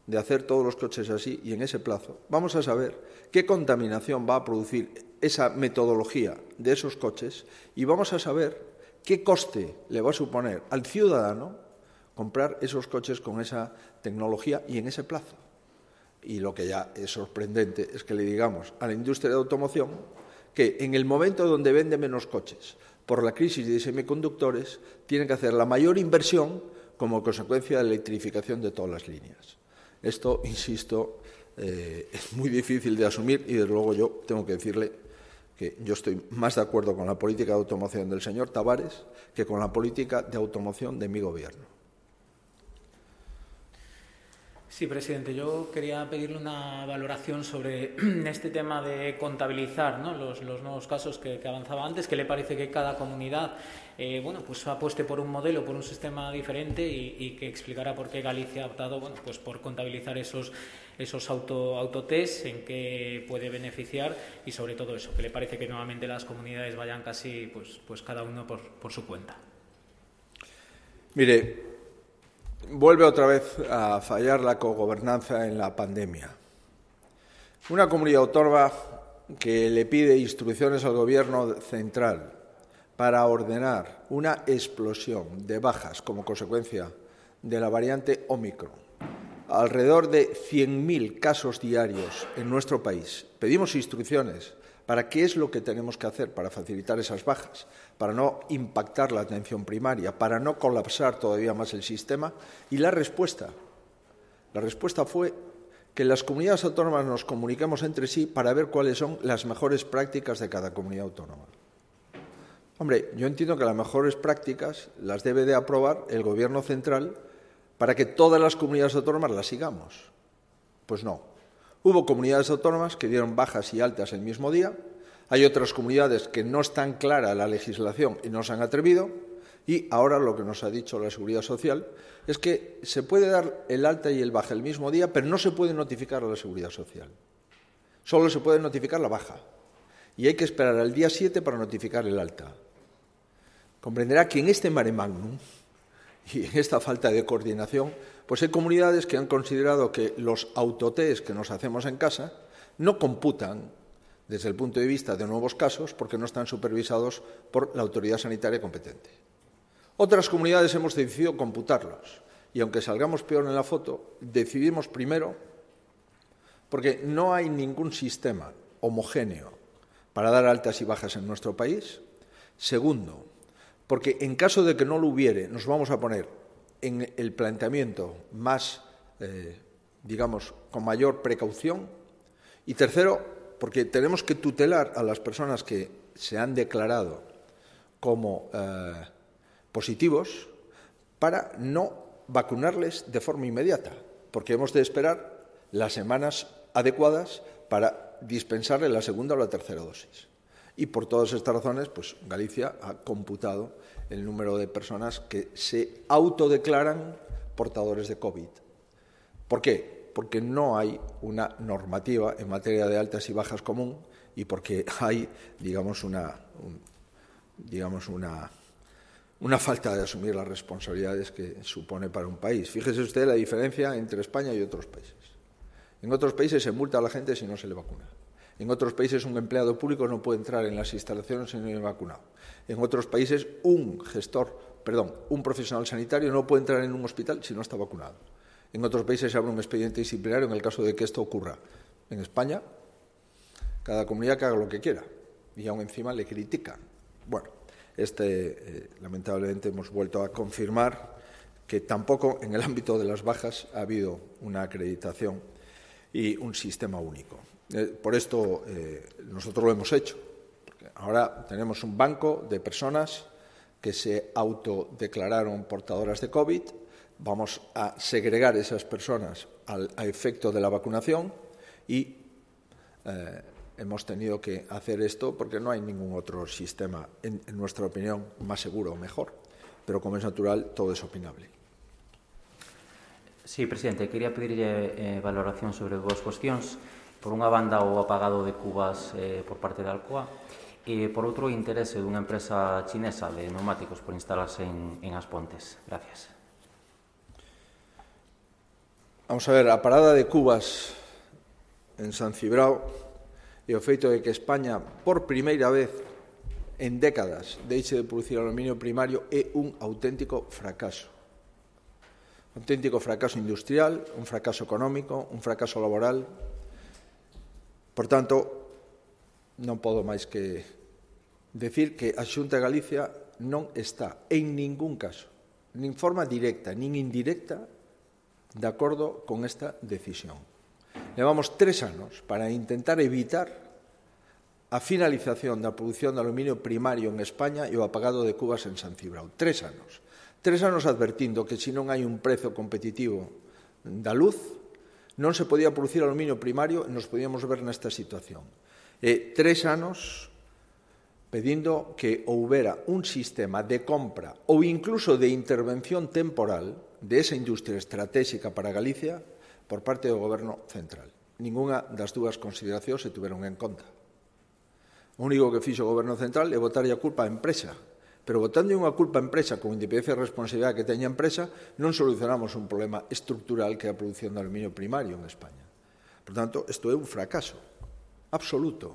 de hacer todos los coches así y en ese plazo. Vamos a saber qué contaminación va a producir esa metodología de esos coches y vamos a saber qué coste le va a suponer al ciudadano comprar esos coches con esa tecnología y en ese plazo. Y lo que ya es sorprendente es que le digamos a la industria de automoción que en el momento donde vende menos coches por la crisis de semiconductores tiene que hacer la mayor inversión como consecuencia de la electrificación de todas las líneas. Esto, insisto, eh, es muy difícil de asumir y, desde luego, yo tengo que decirle que yo estoy más de acuerdo con la política de automoción del señor Tavares que con la política de automoción de mi gobierno. Sí, presidente, yo quería pedirle una valoración sobre este tema de contabilizar, ¿no?, los, los nuevos casos que, que avanzaba antes, que le parece que cada comunidad eh, bueno, pues apueste por un modelo, por un sistema diferente y, y que explicara por qué Galicia ha optado bueno, pues por contabilizar esos, esos auto, autotest, en qué puede beneficiar y sobre todo eso, que le parece que nuevamente las comunidades vayan casi pues, pues cada uno por, por su cuenta. Mire, vuelve otra vez a fallar la cogobernanza en la pandemia. Una comunidad autónoma que le pide instrucciones al Gobierno central para ordenar una explosión de bajas como consecuencia de la variante Ómicron, alrededor de cien mil casos diarios en nuestro país. Pedimos instrucciones para qué es lo que tenemos que hacer para facilitar esas bajas, para no impactar la atención primaria, para no colapsar todavía más el sistema. Y la respuesta, la respuesta fue que las comunidades autónomas nos comuniquemos entre sí para ver cuáles son las mejores prácticas de cada comunidad autónoma. Hombre, yo entiendo que las mejores prácticas las debe de aprobar el Gobierno central para que todas las comunidades autónomas las sigamos. Pues no. Hubo comunidades autónomas que dieron bajas y altas el mismo día, hay otras comunidades que no están clara la legislación y no se han atrevido, y ahora lo que nos ha dicho la Seguridad Social es que se puede dar el alta y el baja el mismo día, pero no se puede notificar a la Seguridad Social. Solo se puede notificar la baja, y hay que esperar al día siete para notificar el alta. Comprenderá que en este mare magnum y en esta falta de coordinación, pues hay comunidades que han considerado que los autotest que nos hacemos en casa no computan desde el punto de vista de nuevos casos porque no están supervisados por la autoridad sanitaria competente. Otras comunidades hemos decidido computarlos y, aunque salgamos peor en la foto, decidimos primero porque no hay ningún sistema homogéneo para dar altas y bajas en nuestro país. Segundo, porque en caso de que no lo hubiere, nos vamos a poner en el planteamiento más, eh, digamos, con mayor precaución. Y tercero, porque tenemos que tutelar a las personas que se han declarado como eh, positivos para no vacunarles de forma inmediata, porque hemos de esperar las semanas adecuadas para dispensarle la segunda o la tercera dosis. Y por todas estas razones, pues Galicia ha computado el número de personas que se autodeclaran portadores de COVID. ¿Por qué? Porque no hay una normativa en materia de altas y bajas común y porque hay, digamos, una, un, digamos una, una falta de asumir las responsabilidades que supone para un país. Fíjese usted la diferencia entre España y otros países. En otros países se multa a la gente si no se le vacuna. En otros países un empleado público no puede entrar en las instalaciones si no es vacunado. En otros países un gestor, perdón, un profesional sanitario no puede entrar en un hospital si no está vacunado. En otros países se abre un expediente disciplinario en el caso de que esto ocurra. En España, cada comunidad que haga lo que quiera y aún encima le critican. Bueno, Este, eh, lamentablemente, hemos vuelto a confirmar que tampoco en el ámbito de las bajas ha habido una acreditación y un sistema único. Eh, por esto eh, nosotros lo hemos hecho. Porque ahora tenemos un banco de personas que se autodeclararon portadoras de COVID. Vamos a segregar esas personas al, a efecto de la vacunación y eh, hemos tenido que hacer esto porque no hay ningún otro sistema, en, en nuestra opinión, más seguro o mejor. Pero como es natural, todo es opinable. Sí, presidente, quería pedirlle eh, valoración sobre dúas cuestións. Por unha banda, o apagado de cubas eh, por parte da Alcoa e, por outro, o interese dunha empresa chinesa de neumáticos por instalarse en, en As Pontes. Gracias. Vamos a ver, a parada de cubas en San Cibrao e o feito de que España, por primeira vez en décadas, deixe de producir aluminio primario é un auténtico fracaso. Un auténtico fracaso industrial, un fracaso económico, un fracaso laboral. Por tanto, non podo máis que decir que a Xunta de Galicia non está en ningún caso, nin forma directa, nin indirecta, de acordo con esta decisión. Levamos tres anos para intentar evitar a finalización da produción de aluminio primario en España e o apagado de cubas en San Cibrao. Tres anos. Tres anos advertindo que se non hai un prezo competitivo da luz, non se podía producir aluminio primario e nos podíamos ver nesta situación. E tres anos pedindo que houbera un sistema de compra ou incluso de intervención temporal de esa industria estratégica para Galicia por parte do Goberno central. Ninguna das dúas consideracións se tuveron en conta. O único que fixo o Goberno central é botarlle a culpa á empresa. Pero botando unha culpa á empresa con independencia e responsabilidade que teña a empresa, non solucionamos un problema estructural que é a produción de aluminio primario en España. Por tanto, isto é un fracaso absoluto.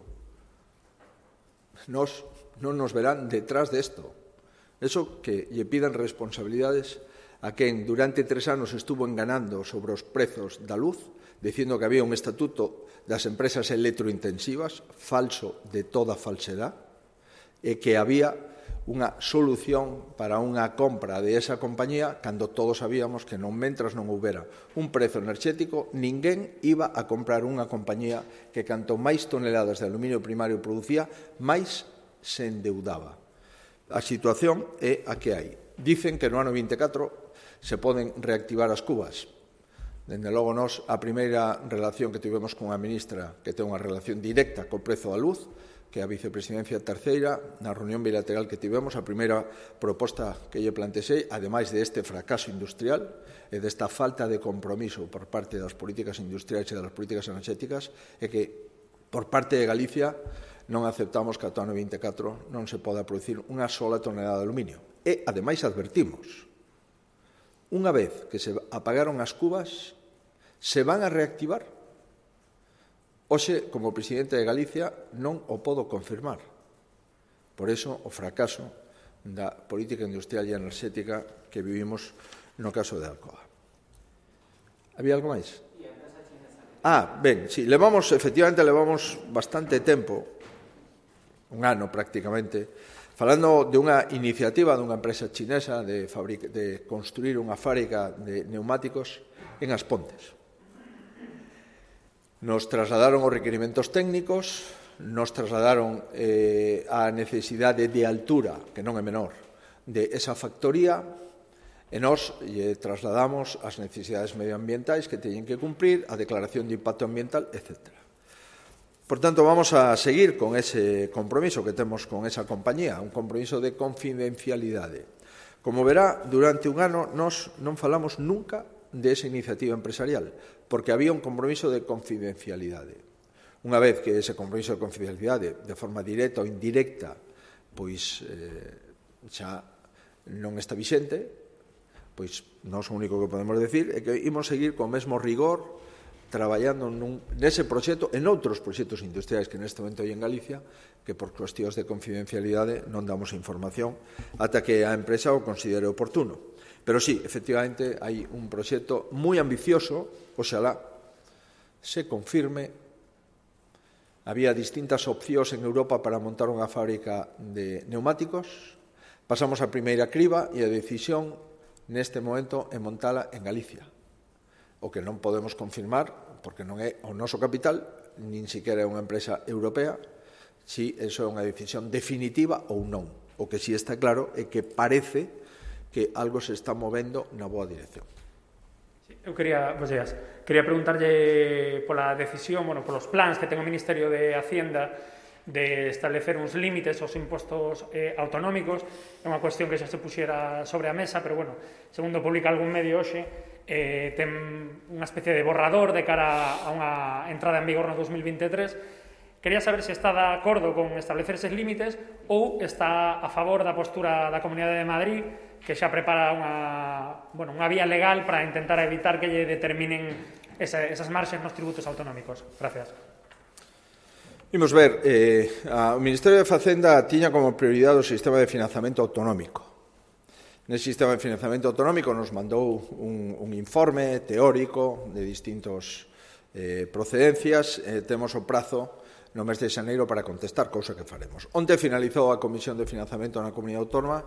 Nos, non nos verán detrás desto. Eso que lle pidan responsabilidades a quen durante tres anos estuvo enganando sobre os prezos da luz, dicindo que había un estatuto das empresas electrointensivas, falso de toda falsedad, e que había unha solución para unha compra de esa compañía cando todos sabíamos que non mentras non houbera un prezo enerxético, ninguén iba a comprar unha compañía que canto máis toneladas de aluminio primario producía, máis se endeudaba. A situación é a que hai. Dicen que no ano vinte e catro se poden reactivar as cubas. Dende logo, nós, a primeira relación que tivemos con a ministra, que ten unha relación directa co prezo da luz, que a vicepresidencia terceira, na reunión bilateral que tivemos, a primeira proposta que lle plantexei, ademais de este fracaso industrial e desta falta de compromiso por parte das políticas industriais e das políticas enerxéticas, é que, por parte de Galicia, non aceptamos que ata o ano vinte e catro non se poda producir unha sola tonelada de aluminio. E, ademais, advertimos, unha vez que se apagaron as cubas, se van a reactivar? Hoxe, como presidente de Galicia, non o podo confirmar. Por iso, o fracaso da política industrial e enerxética que vivimos no caso de Alcoa. Había algo máis? Ah, ben, sí, levamos, efectivamente, levamos bastante tempo, un ano prácticamente, falando de unha iniciativa dunha empresa chinesa de, fabric de construir unha fábrica de neumáticos en As Pontes. Nos trasladaron os requerimentos técnicos, nos trasladaron eh, a necesidade de altura, que non é menor, de esa factoría, e nós lle trasladamos as necesidades medioambientais que teñen que cumprir, a declaración de impacto ambiental, etcétera. Por tanto, vamos a seguir con ese compromiso que temos con esa compañía, un compromiso de confidencialidade. Como verá, durante un ano nós non falamos nunca de esa iniciativa empresarial, porque había un compromiso de confidencialidade. Unha vez que ese compromiso de confidencialidade, de forma directa ou indirecta, pois eh, xa non está vixente, pois nós o único que podemos decir é que imos seguir co mesmo rigor traballando nun, nese proxecto e noutros proxectos industriais que neste momento hai en Galicia, que por cuestións de confidencialidade non damos información ata que a empresa o considere oportuno. Pero sí, efectivamente, hai un proxecto moi ambicioso, oxalá se confirme. Había distintas opcións en Europa para montar unha fábrica de neumáticos. Pasamos a primeira criba e a decisión neste momento é montala en Galicia. O que non podemos confirmar, porque non é o noso capital, nin siquiera é unha empresa europea, si eso é unha decisión definitiva ou non. O que si está claro é que parece que algo se está movendo na boa dirección. Eu quería, pues, días, quería preguntarlle pola decisión, bueno, polos plans que ten o Ministerio de Hacienda de establecer uns límites aos impostos eh, autonómicos. É unha cuestión que xa se puxera sobre a mesa, pero, bueno, segundo publica algún medio hoxe, eh, ten unha especie de borrador de cara a unha entrada en vigor no dos mil veintitrés. Quería saber se está de acordo con establecer eses límites ou está a favor da postura da Comunidade de Madrid, que xa prepara unha, bueno, unha vía legal para intentar evitar que lle determinen esa, esas marxes nos tributos autonómicos. Gracias. Imos ver, eh, a, o Ministerio de Facenda tiña como prioridade o sistema de financiamento autonómico. Nese sistema de financiamento autonómico nos mandou un, un informe teórico de distintos eh, procedencias. Eh, temos o prazo no mes de xaneiro para contestar, cousa que faremos. Onte finalizou a Comisión de Financiamento na Comunidade Autónoma,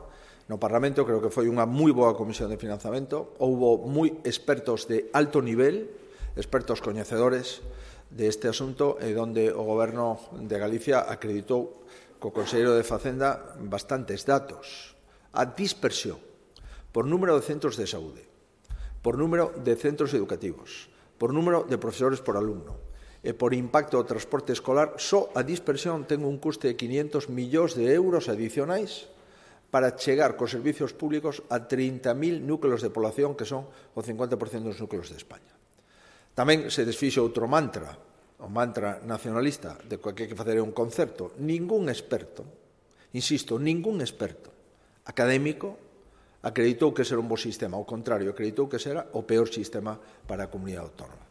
no Parlamento. Creo que foi unha moi boa Comisión de Financiamento. Houbo moi expertos de alto nivel, expertos coñecedores deste asunto, e donde o Goberno de Galicia acreditou co Conselleiro de Facenda bastantes datos. A dispersión por número de centros de saúde, por número de centros educativos, por número de profesores por alumno e por impacto do transporte escolar, só a dispersión ten un custe de quinientos millóns de euros adicionais para chegar cos servicios públicos a trinta mil núcleos de población, que son o cincuenta por cento dos núcleos de España. Tamén se desfixo outro mantra, o mantra nacionalista, de que hai que facer un concerto. Ningún experto, insisto, ningún experto académico acreditou que será un bo sistema. Ao contrario, acreditou que será o peor sistema para a comunidade autónoma.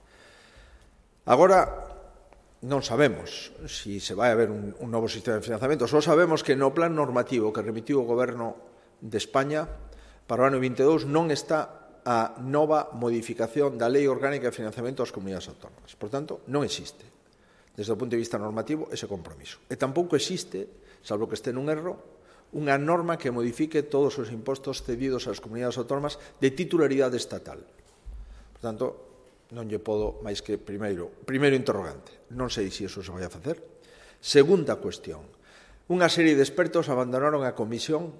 Agora, non sabemos se si se vai haber un, un novo sistema de financiamento. Só sabemos que no plan normativo que remitiu o Goberno de España para o ano veintidós non está a nova modificación da Lei Orgánica de Financiamento das Comunidades Autónomas. Por tanto, non existe, desde o punto de vista normativo, ese compromiso. E tampouco existe, salvo que este nun erro, unha norma que modifique todos os impostos cedidos ás comunidades autónomas de titularidade estatal. Por tanto, non lle podo máis que primeiro, primeiro interrogante. Non sei se iso se vai a facer. Segunda cuestión. Unha serie de expertos abandonaron a Comisión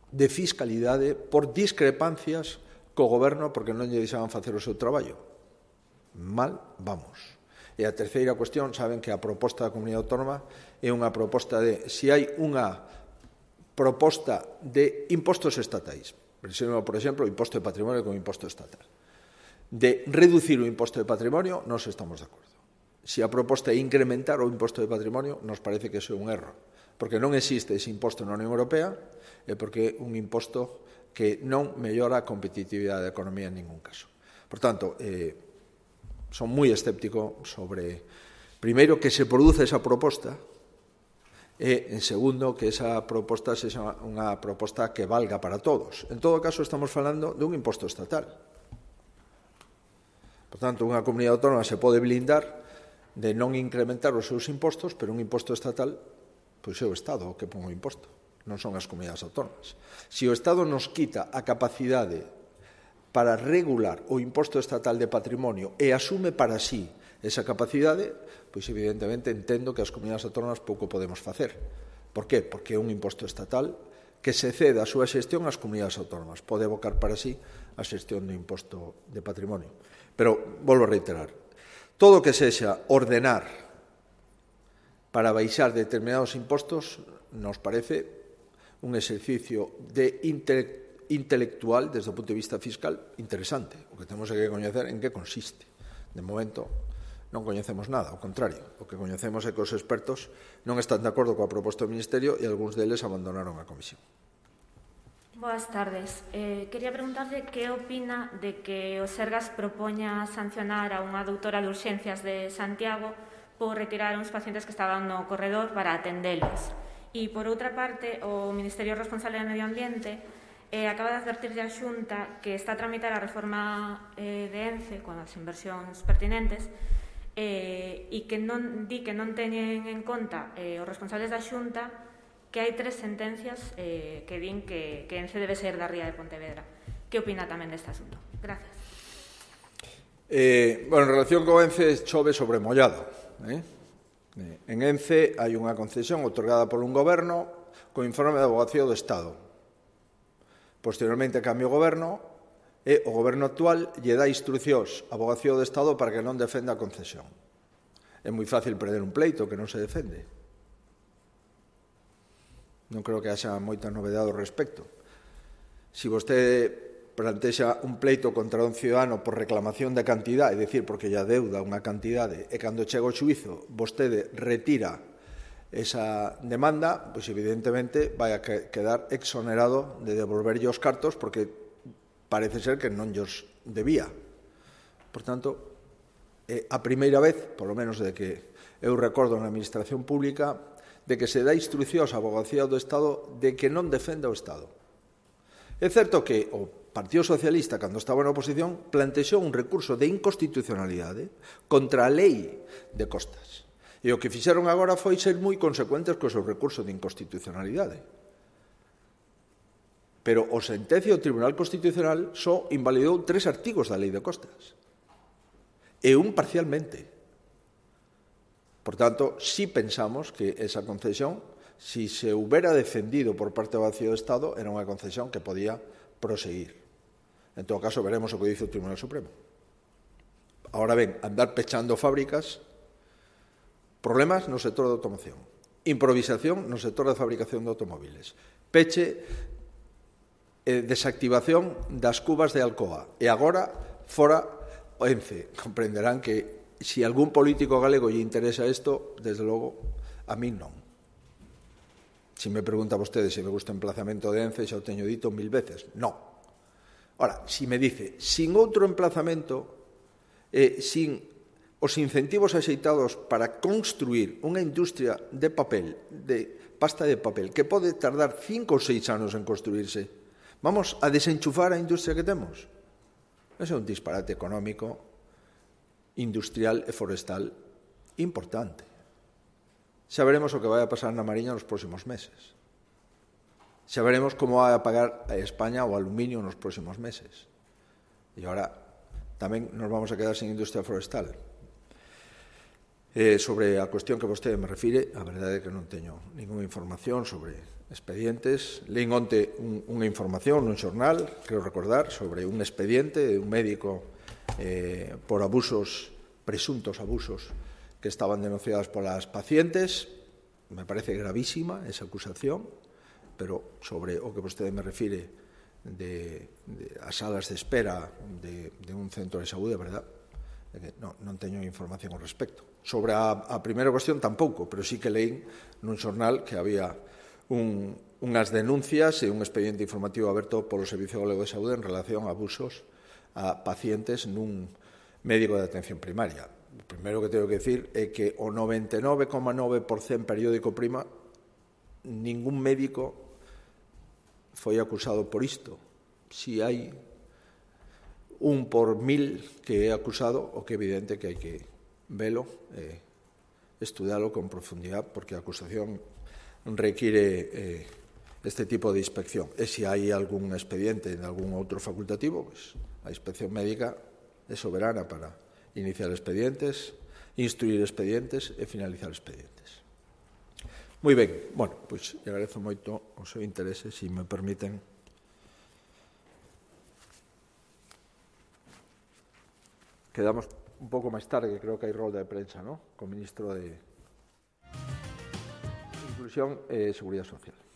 de Fiscalidade por discrepancias co Goberno porque non lle deixaban facer o seu traballo. Mal vamos. E a terceira cuestión, saben que a proposta da Comunidade Autónoma é unha proposta de, se hai unha proposta de impostos estatais, por exemplo, o imposto de patrimonio como imposto estatal, de reducir o imposto de patrimonio, nos estamos de acordo. Se a proposta é incrementar o imposto de patrimonio, nos parece que iso é un erro, porque non existe ese imposto na Unión Europea e porque é un imposto que non mellora a competitividade da economía en ningún caso. Por tanto, eh, son moi escéptico sobre, primeiro, que se produce esa proposta e, en segundo, que esa proposta sexa unha proposta que valga para todos. En todo caso, estamos falando de un imposto estatal. Por tanto, unha comunidade autónoma se pode blindar de non incrementar os seus impostos, pero un imposto estatal, pois é o Estado o que pon o imposto, non son as comunidades autónomas. Se o Estado nos quita a capacidade para regular o imposto estatal de patrimonio e asume para sí esa capacidade, pois evidentemente entendo que as comunidades autónomas pouco podemos facer. Por qué? Porque é un imposto estatal que se cede a súa xestión ás comunidades autónomas. Pode evocar para sí a xestión do imposto de patrimonio. Pero, volvo a reiterar, todo o que sexa ordenar para baixar determinados impostos nos parece un exercicio de intelectualidade intelectual, desde o punto de vista fiscal, interesante. O que temos que coñecer en que consiste. De momento, non coñecemos nada, ao contrario. O que coñecemos é que os expertos non están de acordo coa proposta do Ministerio e algúns deles abandonaron a comisión. Boas tardes. Eh, quería preguntarle que opina de que o Sergas propoña sancionar a unha doutora de urxencias de Santiago por retirar uns pacientes que estaban no corredor para atendelos. E, por outra parte, o Ministerio responsable de Medio Ambiente Eh, acaba de advertir a Xunta que está a tramitar a reforma eh, de ENCE con as inversións pertinentes eh, e que non di que non teñen en conta eh, os responsables da Xunta que hai tres sentencias eh, que din que, que Ence debe ser da ría de Pontevedra. Que opina tamén deste asunto? Gracias. Eh, bueno, en relación con Ence, chove sobre mollado. Eh? En Ence hai unha concesión otorgada por un goberno con informe da Avogacía do Estado. Posteriormente cambia o goberno e o goberno actual lle dá instruccións á Avogacía do Estado para que non defenda a concesión. É moi fácil perder un pleito que non se defende. Non creo que haxa moita novedade ao respecto. Se vostede plantexa un pleito contra un ciudadano por reclamación de cantidad, é dicir, porque lla deuda unha cantidade, e cando chega o xuízo vostede retira esa demanda, pois evidentemente vai a quedar exonerado de devolverlle os cartos porque parece ser que non llos debía. Por tanto, é a primeira vez, polo menos de que eu recordo na administración pública, de que se dá instruccións á Avogacía do Estado de que non defenda o Estado. É certo que o Partido Socialista, cando estaba na oposición, plantexou un recurso de inconstitucionalidade contra a lei de costas. E o que fixeron agora foi ser moi consecuentes co seu recurso de inconstitucionalidade. Pero o sentencia do Tribunal Constitucional só invalidou tres artigos da lei de costas. E un parcialmente. Por tanto, si pensamos que esa concesión, si se houbera defendido por parte do Avogacía do Estado, era unha concesión que podía proseguir. En todo caso, veremos o que dice o Tribunal Supremo. Ahora ben, andar pechando fábricas, problemas no sector da automoción, improvisación no sector da fabricación de automóviles, peche e desactivación das cubas de Alcoa, e agora fora o Ence. Comprenderán que se algún político galego lle interesa isto, desde logo, a mí non. Se me pregunta vostede se me gusta o emplazamento de Ence, xa o teño dito mil veces. Non. Ora, se me dice, sin outro emplazamento, eh, sin os incentivos axeitados para construir unha industria de papel, de pasta de papel, que pode tardar cinco ou seis anos en construirse, vamos a desenchufar a industria que temos? Ese é un disparate económico, industrial e forestal importante. Xa veremos o que vai a pasar na Mariña nos próximos meses. Xa veremos como vai a pagar a España o aluminio nos próximos meses. E agora tamén nos vamos a quedar sin industria forestal. Eh, sobre a cuestión que vostede me refire, a verdade é que non teño ninguna información sobre expedientes. Leín onte un, unha información nun xornal, creo recordar, sobre un expediente de un médico eh, por abusos, presuntos abusos, que estaban denunciados polas pacientes. Me parece gravísima esa acusación, pero sobre o que vostede me refire de, de as salas de espera de, de un centro de saúde, verdad? Non, non teño información ao respecto. Sobre a, a primeira cuestión tampouco, pero sí que leín nun xornal que había un, unhas denuncias e un expediente informativo aberto polo Servicio Galego de Saúde en relación a abusos a pacientes nun médico de atención primaria. O primeiro que teño que decir é que o noventa e nove coma nove por cento periódico Prima, ningún médico foi acusado por isto. Si hai un por mil que é acusado, o que é evidente que hai que velo e estudalo con profundidade, porque a acusación require eh, este tipo de inspección. E se hai algún expediente en algún outro facultativo, pues, a inspección médica é soberana para iniciar expedientes, instruir expedientes e finalizar expedientes. Moi ben, bueno, pois pues, agradezo moito o seu interese, se me permiten. Quedamos un pouco máis tarde, que creo que hai rolda de prensa, ¿no?, co ministro de Inclusión e Seguridade Social.